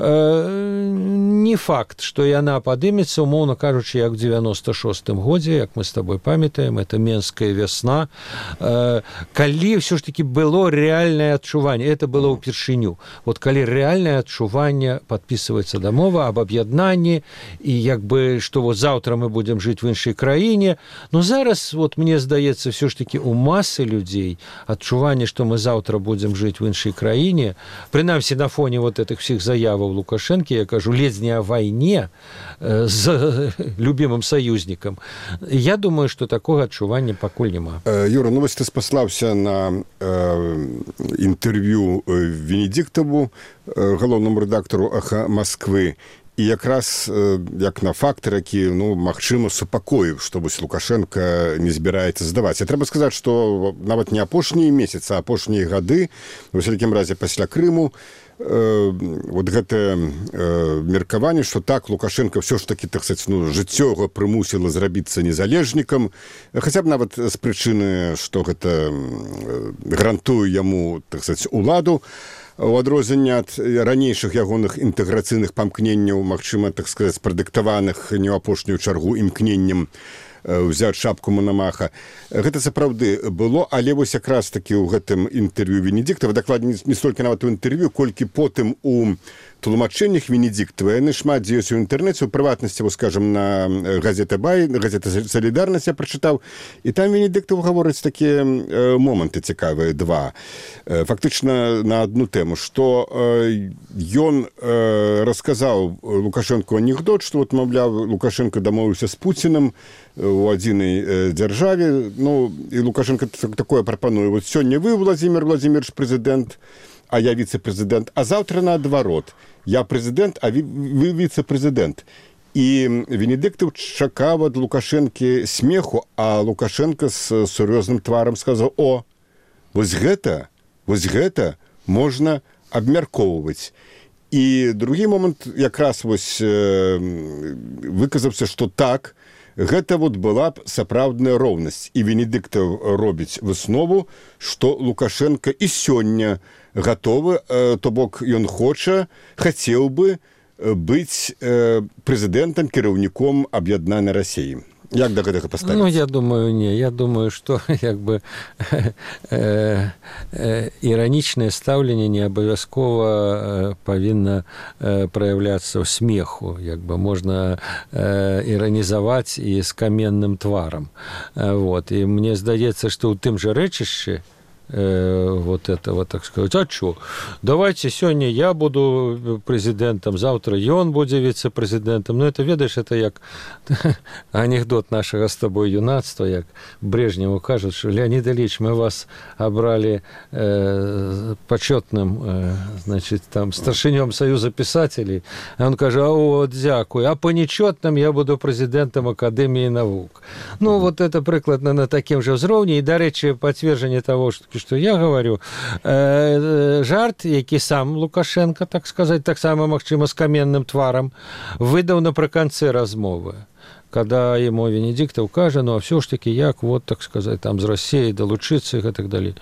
Не факт, што яна падымецца, умоўна кажучы, як у девяносто шостым годзе, як мы з табой памятаем, это Менская вясна, калі ўсё ж таки было рэальнае адчуванне, это было ўпершыню. Вот калі рэальнае адчуванне, падпісваецца дамова аб аб'яднанні, і як бы, што вот заўтра мы будзем жыць в іншай краіне, но зараз, вот мне здаецца, ўсё ж таки у масы людзей адчуванне, што мы заўтра будзем жыць в іншай краіне, прынамсі на фоне вот этих всіх заяваў Лукашэнкі, я кажу, ледзь не о вайне з любімым саюзнікам. Я думаю, што такога адчування пакуль няма. Юра, ну вось ты спаслаўся на інтэрв'ю Венедиктову, галоўнаму рэдактару «Эхо Москвы». І якраз як на фактор, які, ну, магчыма, супакоіў, што вось Лукашенко не збіраецца здаваць. І трэба сказаць, што нават не апошнія месяцы, а апошнія гады, у вялікім разе пасля Крыму, э, вот гэтае э, меркаванне, што так, Лукашенко ўсё ж такі, так сказаць, ну, жыццё прымусіла зрабіцца незалежнікам, хаця б нават з прычыны, што гэта гарантуе яму, так сказаць, уладу, у адрозненне ад ранейшых ягоных інтэграцыйных памкненняў, магчыма, так сказаць, прадыктаваных не ў апошнюю чаргу імкненнем ўзяць шапку Мономаха. Гэта сапраўды было, але вось якраз такі ў гэтым інтэрв'ю Венедиктова, дакладней не столькі нават у інтэрв'ю, колькі потым у тлумачэннях Венедиктова, яны шмат дзе ёсць у інтэрнэце, у прыватнасці, вось, скажам, на газета «Бай», газета «Солідарнасць» я прачытаў, і там Венедиктов гаворыць такія моманты цікавыя, два. Фактычна на адну тэму, што ён расказаў Лукашенко анекдот, што, вот, маўляў, Лукашенко дамовіўся з Пуцінам у адзінай дзяржаве, ну, і Лукашенко такое прапануе. Вот сёння вы, Владимир Владимирович, прэзідэнт, а я віцэ-прэзідэнт, а заўтра наадварот. Я прэзідэнт, а вы віцэ-прэзідэнт. І Венедиктов чакаў ад Лукашэнкі смеху, а Лукашенко з сур'ёзным тварам сказаў: «О, вось гэта, вось гэта можна абмяркоўваць». І другі момант якраз вось выказаўся, што так, гэта вот была б сапраўдная роўнасць. І Венедиктов робіць выснову, што Лукашенко і сёння гатовы, то бок ён хоча, хацеў бы быць прэзідэнтам, кіраўніком аб'яднанай Расіі. Як да гэтага паставіцца? Ну, я думаю, не. Я думаю, што як бы іранічнае стаўленне не абавязкова павінна праяўляцца ў смеху. Як бы можна іранізаваць і з каменным тварам. Вот. І мне здаецца, што ў тым жа рэчышчы вот этого, так сказать, а что? Давайте сегодня я буду президентом, завтра ён будзе вице-президентом. Ну, это, ведаешь, это як анекдот нашего с тобой юнацтва, як Брежневу кажут, что Леонид Ильич, мы вас обрали э, почетным, э, значит, там, старшинем Союза писателей. А он кажет: а вот, дякую, а по нечетным я буду президентом Академии наук. Ну, mm-hmm. вот это прикладно на таким же ўзроўні. И, до речи, подтверждение того, что что я говорю, э, жарт, які сам Лукашенко, так сказать, так само, магчыма, з каменным тварам, выдаў напрыканцы размовы, когда ему Венедиктов кажа: ну, а все ж таки, як, вот, так сказать, там, з Россией долучиться и так далее.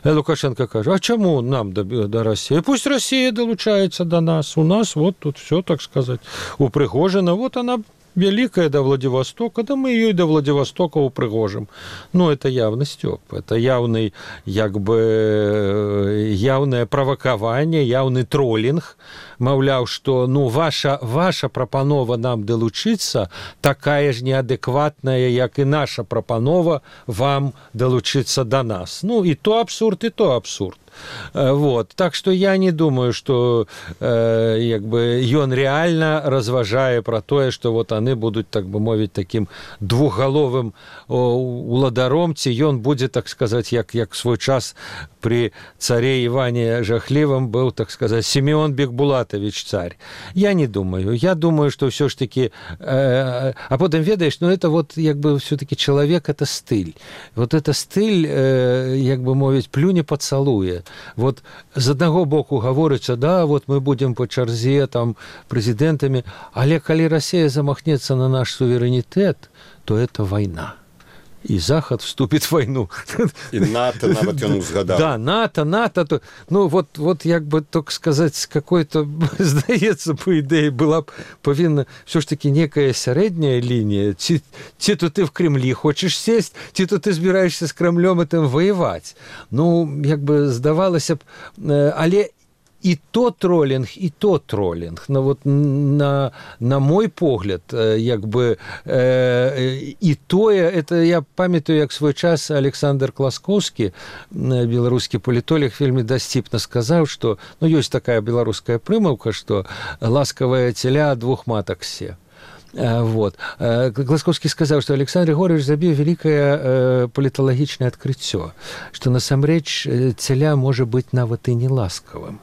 И Лукашенко кажа: а чему нам до, до России? Пусть Россия долучается до нас. У нас вот тут все, так сказать, упрыгожено. Вот она великая до Владивостока, да мы ее и до Владивостока упрыгожим. Ну, это явный стёб, это явный, як бы, явное правакаванне, явный троллинг. Маўляў, што, ну, ваша, ваша прапанова нам далучыцца такая ж неадэкватная, як і наша прапанова вам далучыцца до нас. Ну, и то абсурд, и то абсурд. Вот. Так что я не думаю, что э, як бы, ён реально разважае про тое, что вот они будут, так бы мовіць, таким двухголовым уладаром, ці ён будзе, так сказать, як, як свой час при царе Иване Жахливом был, так сказать, Симеон Бекбулатович царь. Я не думаю. Я думаю, что все ж таки... Э, а потом, ведаешь, ну это вот, як бы, все-таки человек, это стыль. Вот это стыль, э, як бы мовіць, плюне поцалуе. Вот з аднаго боку гаворыцца: да, вот мы будем по чарзе там прэзідэнтамі, але калі Россия замахнется на наш суверэнітэт, то это война. И Захад вступит в войну. И НАТО, нават ён узгадал. Да, НАТО, НАТО. То, ну, вот, вот, як бы, так сказать, с какой-то, здаецца, по идее, была б павінна все ж таки некая сярэдняя линия. Ці, ці то ты в Кремле хочешь сесть, ці то ты збираешься с Кремлем этим воевать. Ну, як бы, здавалася б, але і то тролінг, і то тролінг. Ну, вот, на, на мой погляд, як бы, э, і тое, это я памятаю, як свой час Александр Класкоўскі, беларускі палітолог, вельмі дасціпна сказаў, што, ну, ёсць такая беларуская прымаўка, што ласкавая теля двух матак се. Вот. Класкоўскі сказаў, што Александр Григорьевич забіў вялікае паліталагічнае адкрыццё, што насамрэч целя можа быць нават і не ласкавым.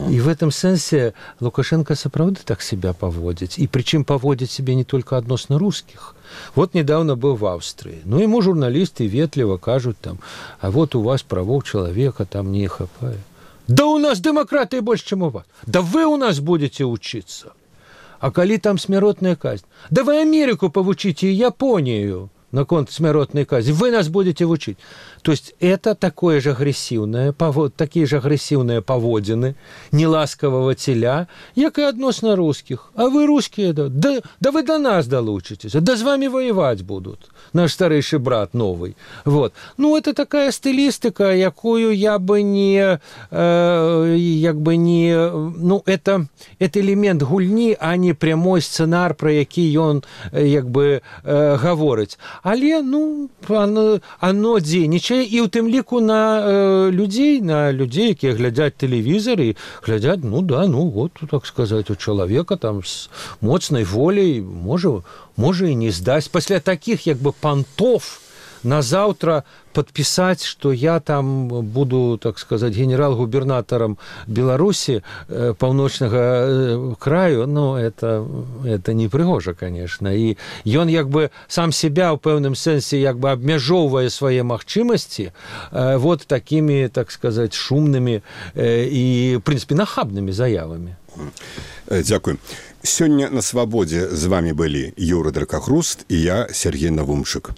И в этом сенсе Лукашенко сапраўды так себя поводит. И причем поводит себя не только относно русских. Вот недавно был в Австрии. Ну, ему журналисты ветливо кажут там, а вот у вас правов человека там не хапает. Да у нас демократии больше, чем у вас. Да вы у нас будете учиться. А коли там смертная казнь? Да вы Америку повучите и Японию на конт смертной казни. Вы нас будете учить. То есть это такое же агрессивное, такие же агрессивные поводины неласкового теля, як и относно русских. А вы русские, да, да, да вы до нас долучитесь, да с вами воевать будут. Наш старейший брат новый. Вот. Ну, это такая стилистика, якую я бы не, э, як бы не, ну, это, это элемент гульни, а не прямой сценар, про який он, як бы, э, говорить. Але, ну, оно, оно дзейнічае, і ў тым ліку на э, людзей, на людзей, якія глядзяць тэлевізор і глядзяць, ну да, ну вот, так сказаць, у чалавека там з моцнай волей можа, можа і не здасць. Пасля такіх, як бы, пантов на заўтра подписать, что я там буду, так сказать, генерал-губернатором Беларуси, э, паўночнага э, краю, ну, это, это не прыгожа, конечно. И ён, як бы, сам себя в пэўным сэнсе, як бы, абмяжоўвае свае магчымасці э, вот такими, так сказать, шумными э, и, в принципе, нахабными заявами. Дзякуй. Сёння на свабодзе з вами былі Юра Дракахруст і я, Сергей Навумшык.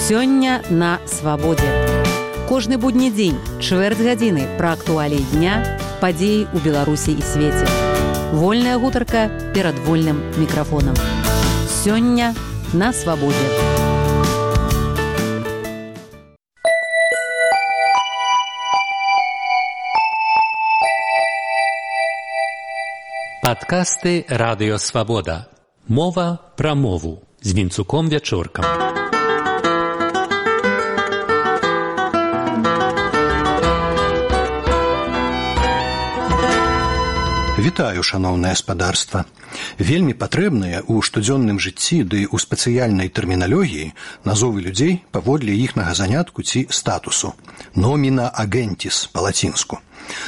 Сёння на свабодзе. Кожны будні дзень, чвэрць гадзіны пра актуаліі дня, падзеі ў Беларусі і свеце. Вольная гутарка перад вольным мікрафонам. Сёння на свабодзе. Падкасты Радыё Свабода. Мова пра мову з Вінцуком Вячоркам. Вітаю, шаноўнае спадарства. Вельмі патрэбныя ў штодзённым жыцці ды ў спецыяльнай тэрміналогіі назовы людзей паводле іхнага занятку ці статусу. Номіна агентіс па-лацінску.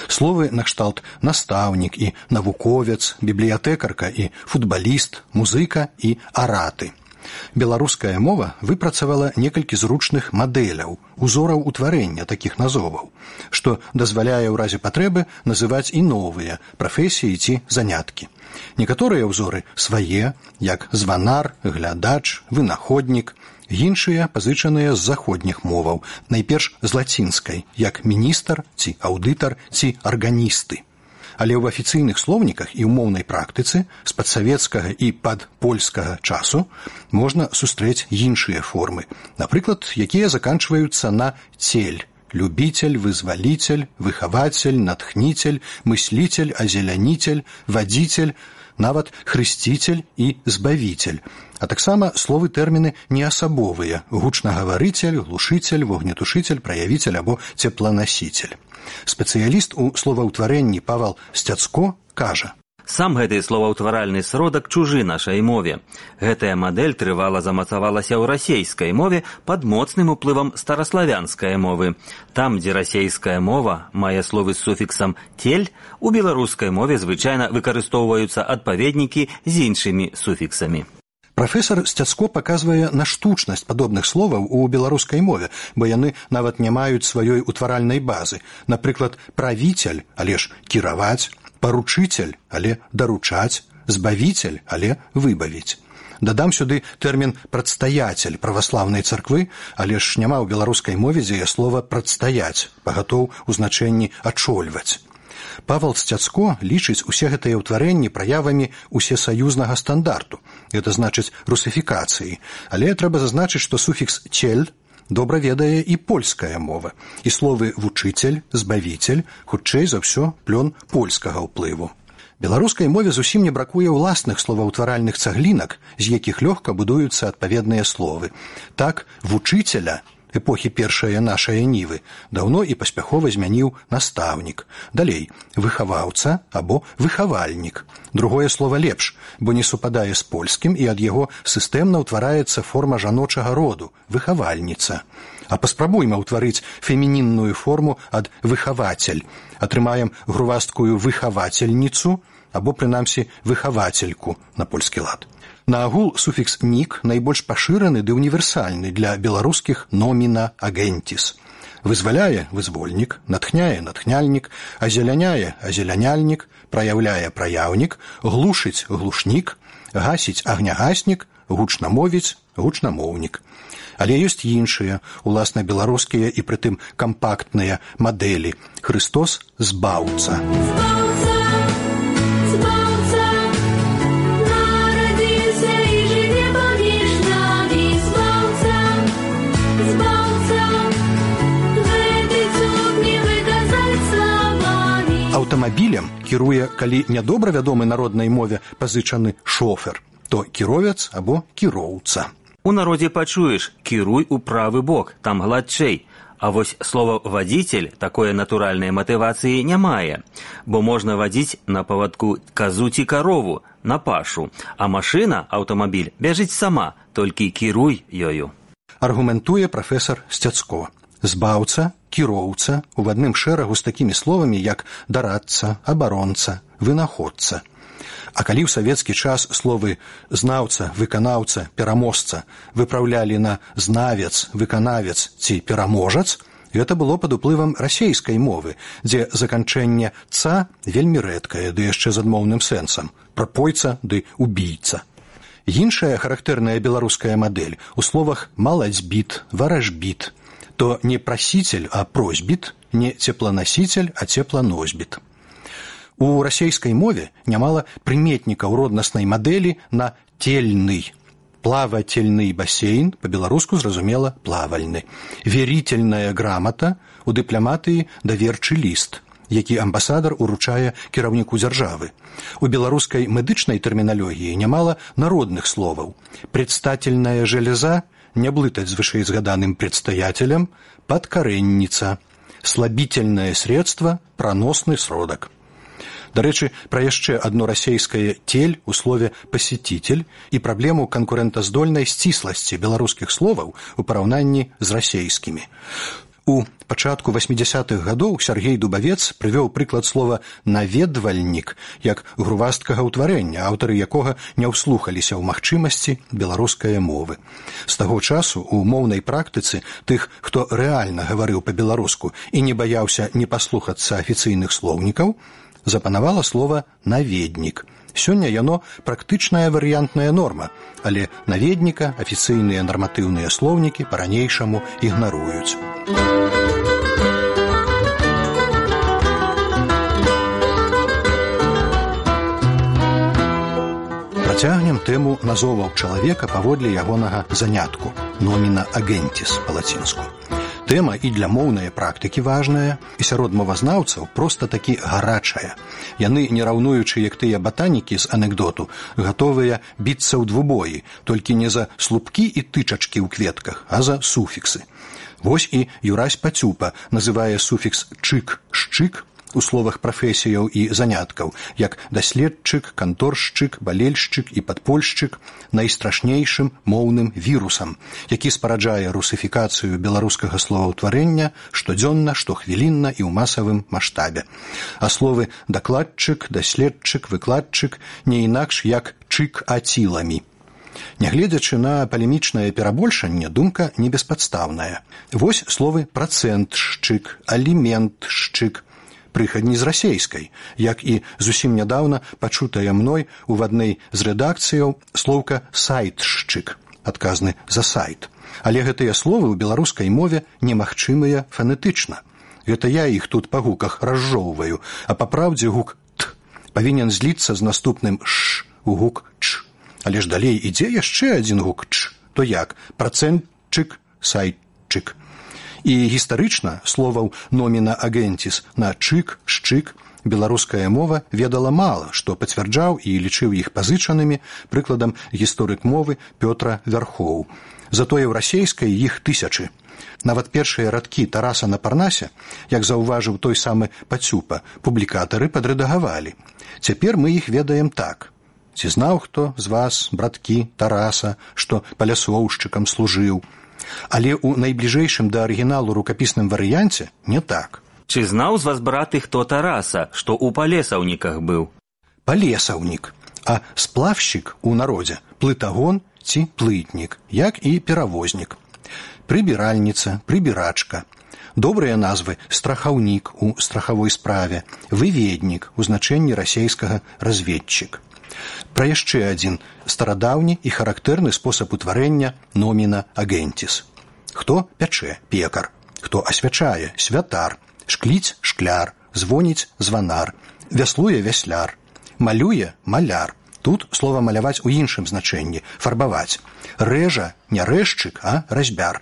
Словы накшталт настаўнік і навуковец, бібліятэкарка і футбаліст, музыка і араты. Беларуская мова выпрацавала некалькі зручных мадэляў, узораў утварэння такіх назоваў, што дазваляе ў разе патрэбы называць і новыя прафесіі ці заняткі. Некаторыя ўзоры свае, як званар, глядач, вынаходнік, іншыя пазычаныя з заходніх моваў, найперш з лацінскай, як міністр ці аўдытар ці арганісты. Але ў афіцыйных слоўніках і ў моўнай практыцы з падсавецкага і падпольскага часу можна сустрэць іншыя формы, напрыклад, якія заканчваюцца на цель, любитель, вызвалитель, выхаватель, натхнитель, мыслитель, озеляніцель, вадзіцель, нават хрысціцель і збавіцель, а таксама словы тэрміны неасабовыя: гучнагаварыцель, глушыцель, вогнетушыцель, праявіцель або цепланасіцель. Спецыяліст у словаўтварэнні Павал Сцяцко кажа: Сам гэты словаўтваральны сродак чужы нашай мове. Гэтая мадэль трывала замацавалася ў расейскай мове пад моцным уплывам стараславянскай мовы. Там, дзе расейская мова мае словы з суфіксам «тель», у беларускай мове звычайна выкарыстоўваюцца адпаведнікі з іншымі суфіксамі. Прафесор Сцяцко паказвае на штучнасць падобных словаў у беларускай мове, бо яны нават не маюць сваёй утваральнай базы. Напрыклад, правіцель, але ж кіраваць, паручыцель, але даручаць, збавіцель, але выбавіць. Дадам сюды тэрмін «прадстаяцель» праваслаўнай царквы, але ж няма ў беларускай мове дзея слова «прадстаяць», пагатоў у значэнні «ачольваць». Павал Сцяцко лічыць усе гэтыя ўтварэнні праявамі усесаюзнага стандарту, гэта значыць русыфікацыі, але трэба зазначыць, што суфікс «цель» добра ведае і польская мова, і словы «вучыцель», «збавіцель» хутчэй за ўсё плён польскага ўплыву. Беларускай мове зусім не бракуе ўласных словаўтваральных цаглінак, з якіх лёгка будуюцца адпаведныя словы. Так, «вучыцеля» эпохі першае нашае нівы даўно і паспяхова змяніў настаўнік. Далей, выхаваўца або выхавальнік. Другое слова лепш, бо не супадае з польскім і ад яго сістэмна ўтвараецца форма жаночага роду – выхавальніца. А паспрабуйма ўтварыць фемінінную форму ад выхавацель. Атрымаем грувасткую выхавацельніцу або, прынамсі, выхавацельку на польскі лад. Наагул суфікс «нік» найбольш пашыраны ды універсальны для беларускіх номіна агентіс. Вызваляе – вызвольнік, натхняе – натхняльнік, азеляняе – азеляняльнік, праяўляе – праяўнік, глушыць – глушнік, гасіць – агнягаснік, гучна мовіць – гучнамоўнік. Але ёсць іншыя, уласна беларускія і прытым кампактныя мадэлі. Хрыстос – збаўца. Аўтамабілем кіруе, калі нядобра вядомы народнай мове пазычаны шофер, то кіровец або кіроўца. У народзе пачуеш «кіруй у правы бок», там гладчэй. А вось слова «вадзіцель» такое натуральнай матывацыі не мае, бо можна вадзіць на павадку казу ці карову, на пашу, а машына, аўтамабіль, бяжыць сама, толькі кіруй ёю. Аргументуе прафесар Сцяцко. Збаўца, кіроўца у адным шэрагу з такімі словамі, як дарадца, абаронца, вынаходца. А калі ў савецкі час словы «знаўца», «выканаўца», «пераможца» выпраўлялі на «знавец», «выканавец» ці «пераможац», гэта было пад уплывам расейскай мовы, дзе заканчэнне «ца» вельмі рэдкае, ды яшчэ з адмоўным сэнсам – прапойца ды убійца. Іншая характэрная беларуская мадэль у словах «маладзьбіт», «варажбіт», то не прасіцель, а просьбіт, не цепланасіцель, а цепланосьбіт. У расейскай мове нямала прыметнікаў роднаснай мадэлі на «тельны». Плавательны басейн, па-беларуску зразумела плавальны. Верительная грамата, у дыпламатыі даверчы ліст, які амбасадар уручае кіраўніку дзяржавы. У беларускай медычнай тэрміналогіі нямала народных словаў. Предстательная железа, не блытаць з вышэйзгаданым предстоятелем, подкоренница, слабительное средство, проносный сродак. Дарэчы, пра яшчэ адно расейскае «тель» у слове «пасетитель» і праблему канкурэнтаздольнай сцісласці беларускіх словаў у параўнанні з расейскімі. У пачатку васьмідзясятых гадоў Сяргей Дубавец прывёў прыклад слова «наведвальнік» як грувасткага ўтварэння, аўтары якога не ўслухаліся ў магчымасці беларускай мовы. З таго часу у моўнай практыцы тых, хто рэальна гаварыў па-беларуску і не баяўся не паслухацца афіцыйных слоўнікаў, запанавала слова «наведнік». Сёння яно практычная варыянтная норма, але наведніка афіцыйныя нарматыўныя слоўнікі па-ранейшаму ігнаруюць. Працягнем тэму назоваў чалавека паводле ягонага занятку – номіна агентіс па-лацінску. Тэма і для моўнай практыкі важная, і сярод мовазнаўцаў проста такі гарачая. Яны, не раўнуючы, як тыя батанікі з анекдоту, гатовыя біцца ў двубоі, толькі не за слупкі і тычачкі ў кветках, а за суфіксы. Вось і Юрась Пацюпа называе суфікс «чык», «шчык» у словах прафесіяў і заняткаў, як даследчык, канторшчык, балельшчык і падпольшчык найстрашнейшым моўным вірусам, які спараджае русыфікацыю беларускага словаўтварэння штодзённа, штохвілінна і ў масавым маштабе. А словы дакладчык, даследчык, выкладчык не інакш як чык-аціламі. Нягледзячы на палемічнае перабольшанне, думка не беспадстаўная. Вось словы працэнтшчык, аліментшчык, прыхадні з расейскай, як і зусім нядаўна пачутая мной у адной з рэдакцыяў слоўка «сайтшчык», адказны за сайт. Але гэтыя словы ў беларускай мове немагчымыя фанетычна. Гэта я іх тут па гуках разжоўваю, а па праўдзе гук «т» павінен зліцца з наступным «ш» у гук «ч». Але ж далей ідзе яшчэ адзін гук «ч». То як? Працэнтчык, сайт заводчык. І гістарычна словаў номіна агентіс на чык, шчык беларуская мова ведала мала, што пацвярджаў і лічыў іх пазычанымі, прыкладам гісторык мовы Пётра Вярхоў. Затое ў расейскай іх тысячы. Нават першыя радкі Тараса на Парнасе, як заўважыў той самы Пацюпа, публікатары падрэдагавалі. Цяпер мы іх ведаем так. Ці знаў хто з вас, браткі Тараса, што палясоўшчыкам служыў? Але ў найбліжэйшым да арыгіналу рукапісным варыянце не так. Ці знаў з вас, браты, хто Тараса, што ў палесаўніках быў? Палесаўнік, а сплавшчык у народзе плытагон ці плытнік, як і перавознік. Прыбіральніца, прыбірачка. Добрыя назвы страхаўнік у страхавой справе, выведнік у значэнні расейскага разведчык. Пра яшчэ адзін старадаўні і характэрны спосаб утварэння номіна агентіс. Хто пячэ – пекар, хто асвячае – святар, шкліць – шкляр, звоніць – званар, вяслуе – вясляр, малюе – маляр. Тут слова маляваць у іншым значэнні – фарбаваць. Рэжа – не рэжчык, а разьбяр.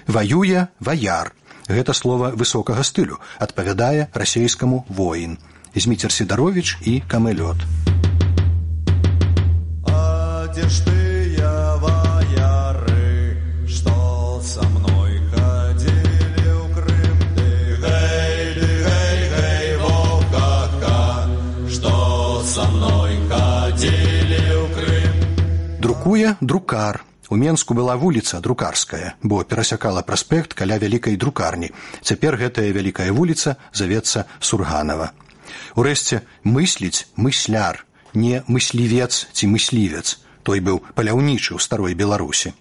Ваюе – ваяр. Гэта слова высокага стылю, адпавядае расейскаму воін. Зміцер Сідаровіч і Камэлёт. Где ж ты, я, вояры, что со мной ходили в Крым? Ты гей, ты гей, гей, Вовка, что со мной ходили в Крым? Друкуе друкар. У Менску была вуліца Друкарская, бо перасякала праспект каля вялікай друкарні. Цяпер гэтая вялікая вуліца завецца Сурганава. Урэшце, мысліць мысляр, не мыслівец ці мыслівец. Той быў паляўнічы ў старой Беларусі.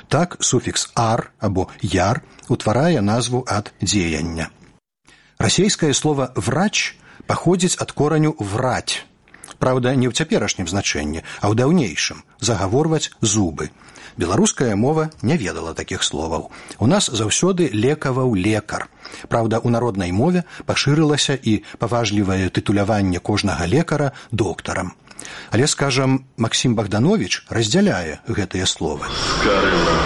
Так суфікс «ар» або «яр» утварае назву ад дзеяння. Расейскае слова «врач» паходзіць ад кораню «враць». Праўда, не ў цяперашнім значэнні, а ў даўнейшым – загаворваць зубы. Беларуская мова не ведала такіх словаў. У нас заўсёды лекаваў лекар. Праўда, у народнай мове пашырылася і паважлівае тытуляванне кожнага лекара доктарам. Але, скажам, Максім Богданович раздзяляе гэтыя словы. Скарына.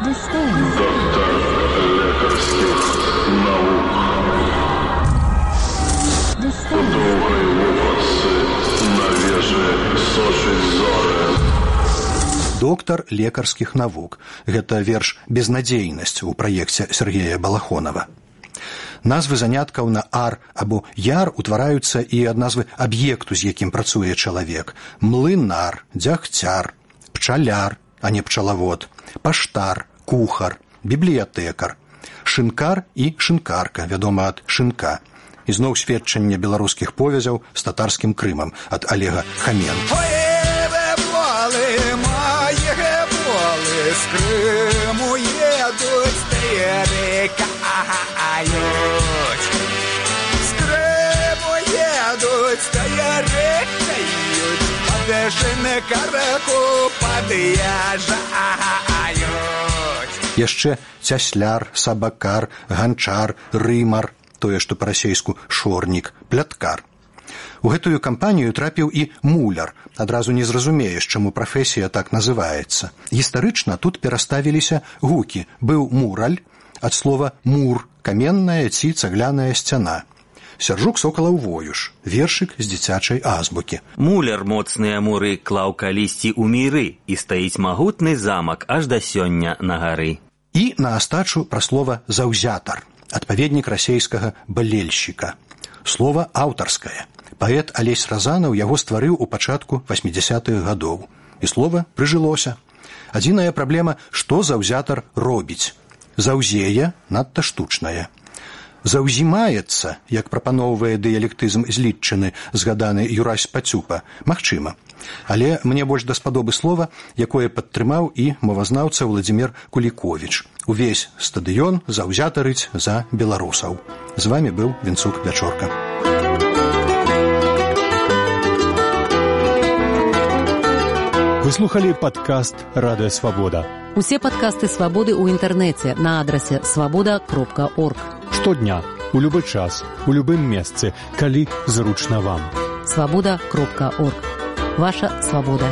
Доктор лекарскіх наук. Доўгай вопратцы на вежы сочыць зоры. Доктар лекарскіх навук. Гэта верш «Безнадзейнасць» у праекце Сергея Балахонова. Назвы заняткаў на «ар» або «яр» утвараюцца і ад назвы аб'екту, з якім працуе чалавек. Млынар, дзягцяр, пчаляр, а не пчалавод, паштар, кухар, бібліятэкар, шынкар і шынкарка, вядома ад шынка. Ізноў сведчанне беларускіх повязяў з татарскім Крымам ад Олега Хаменко. З Криму едуть, перекають. З Криму едуть, перекають. Подешене караку подъезжають. Яшчэ цясляр, сабакар, ганчар, рымар, тое, што па-расейску шорнік, пляткар. У гэтую кампанію трапіў і муляр. Адразу не зразумееш, чаму прафесія так называецца. Гістарычна тут пераставіліся гукі. Быў мураль, ад слова «мур» – каменная ці цагляная сцяна. Сяржук Сокалаў воюш, вершык з дзіцячай азбукі. Муляр моцныя муры клаў калісьці ў міры, і стаіць магутны замак аж да сёння на гары. І на астачу пра слова «заўзятар», адпаведнік расейскага «балельшчыка». Слова аўтарскае. Паэт Алесь Разанаў яго стварыў у пачатку васьмідзясятых гадоў. І слова прыжылося. Адзіная праблема, што заўзятар робіць. Заўзее надта штучнае. Заўзімаецца, як прапаноўвае дыялектызм злітчыны, згаданы Юрась Пацюпа, магчыма. Але мне больш даспадобы слова, якое падтрымаў і мовазнаўца Владзімір Куліковіч. Увесь стадыён заўзятарыць за беларусаў. З вамі быў Вінцук Вячорка. Вы слухали падкаст «Радыё Свабода». Усе падкасты «Свабоды» ў інтэрнэце на адрасе свабода кропка орг. Штодня, у любы час, у любым месцы, калі зручна вам. свабода кропка орг. Ваша свабода.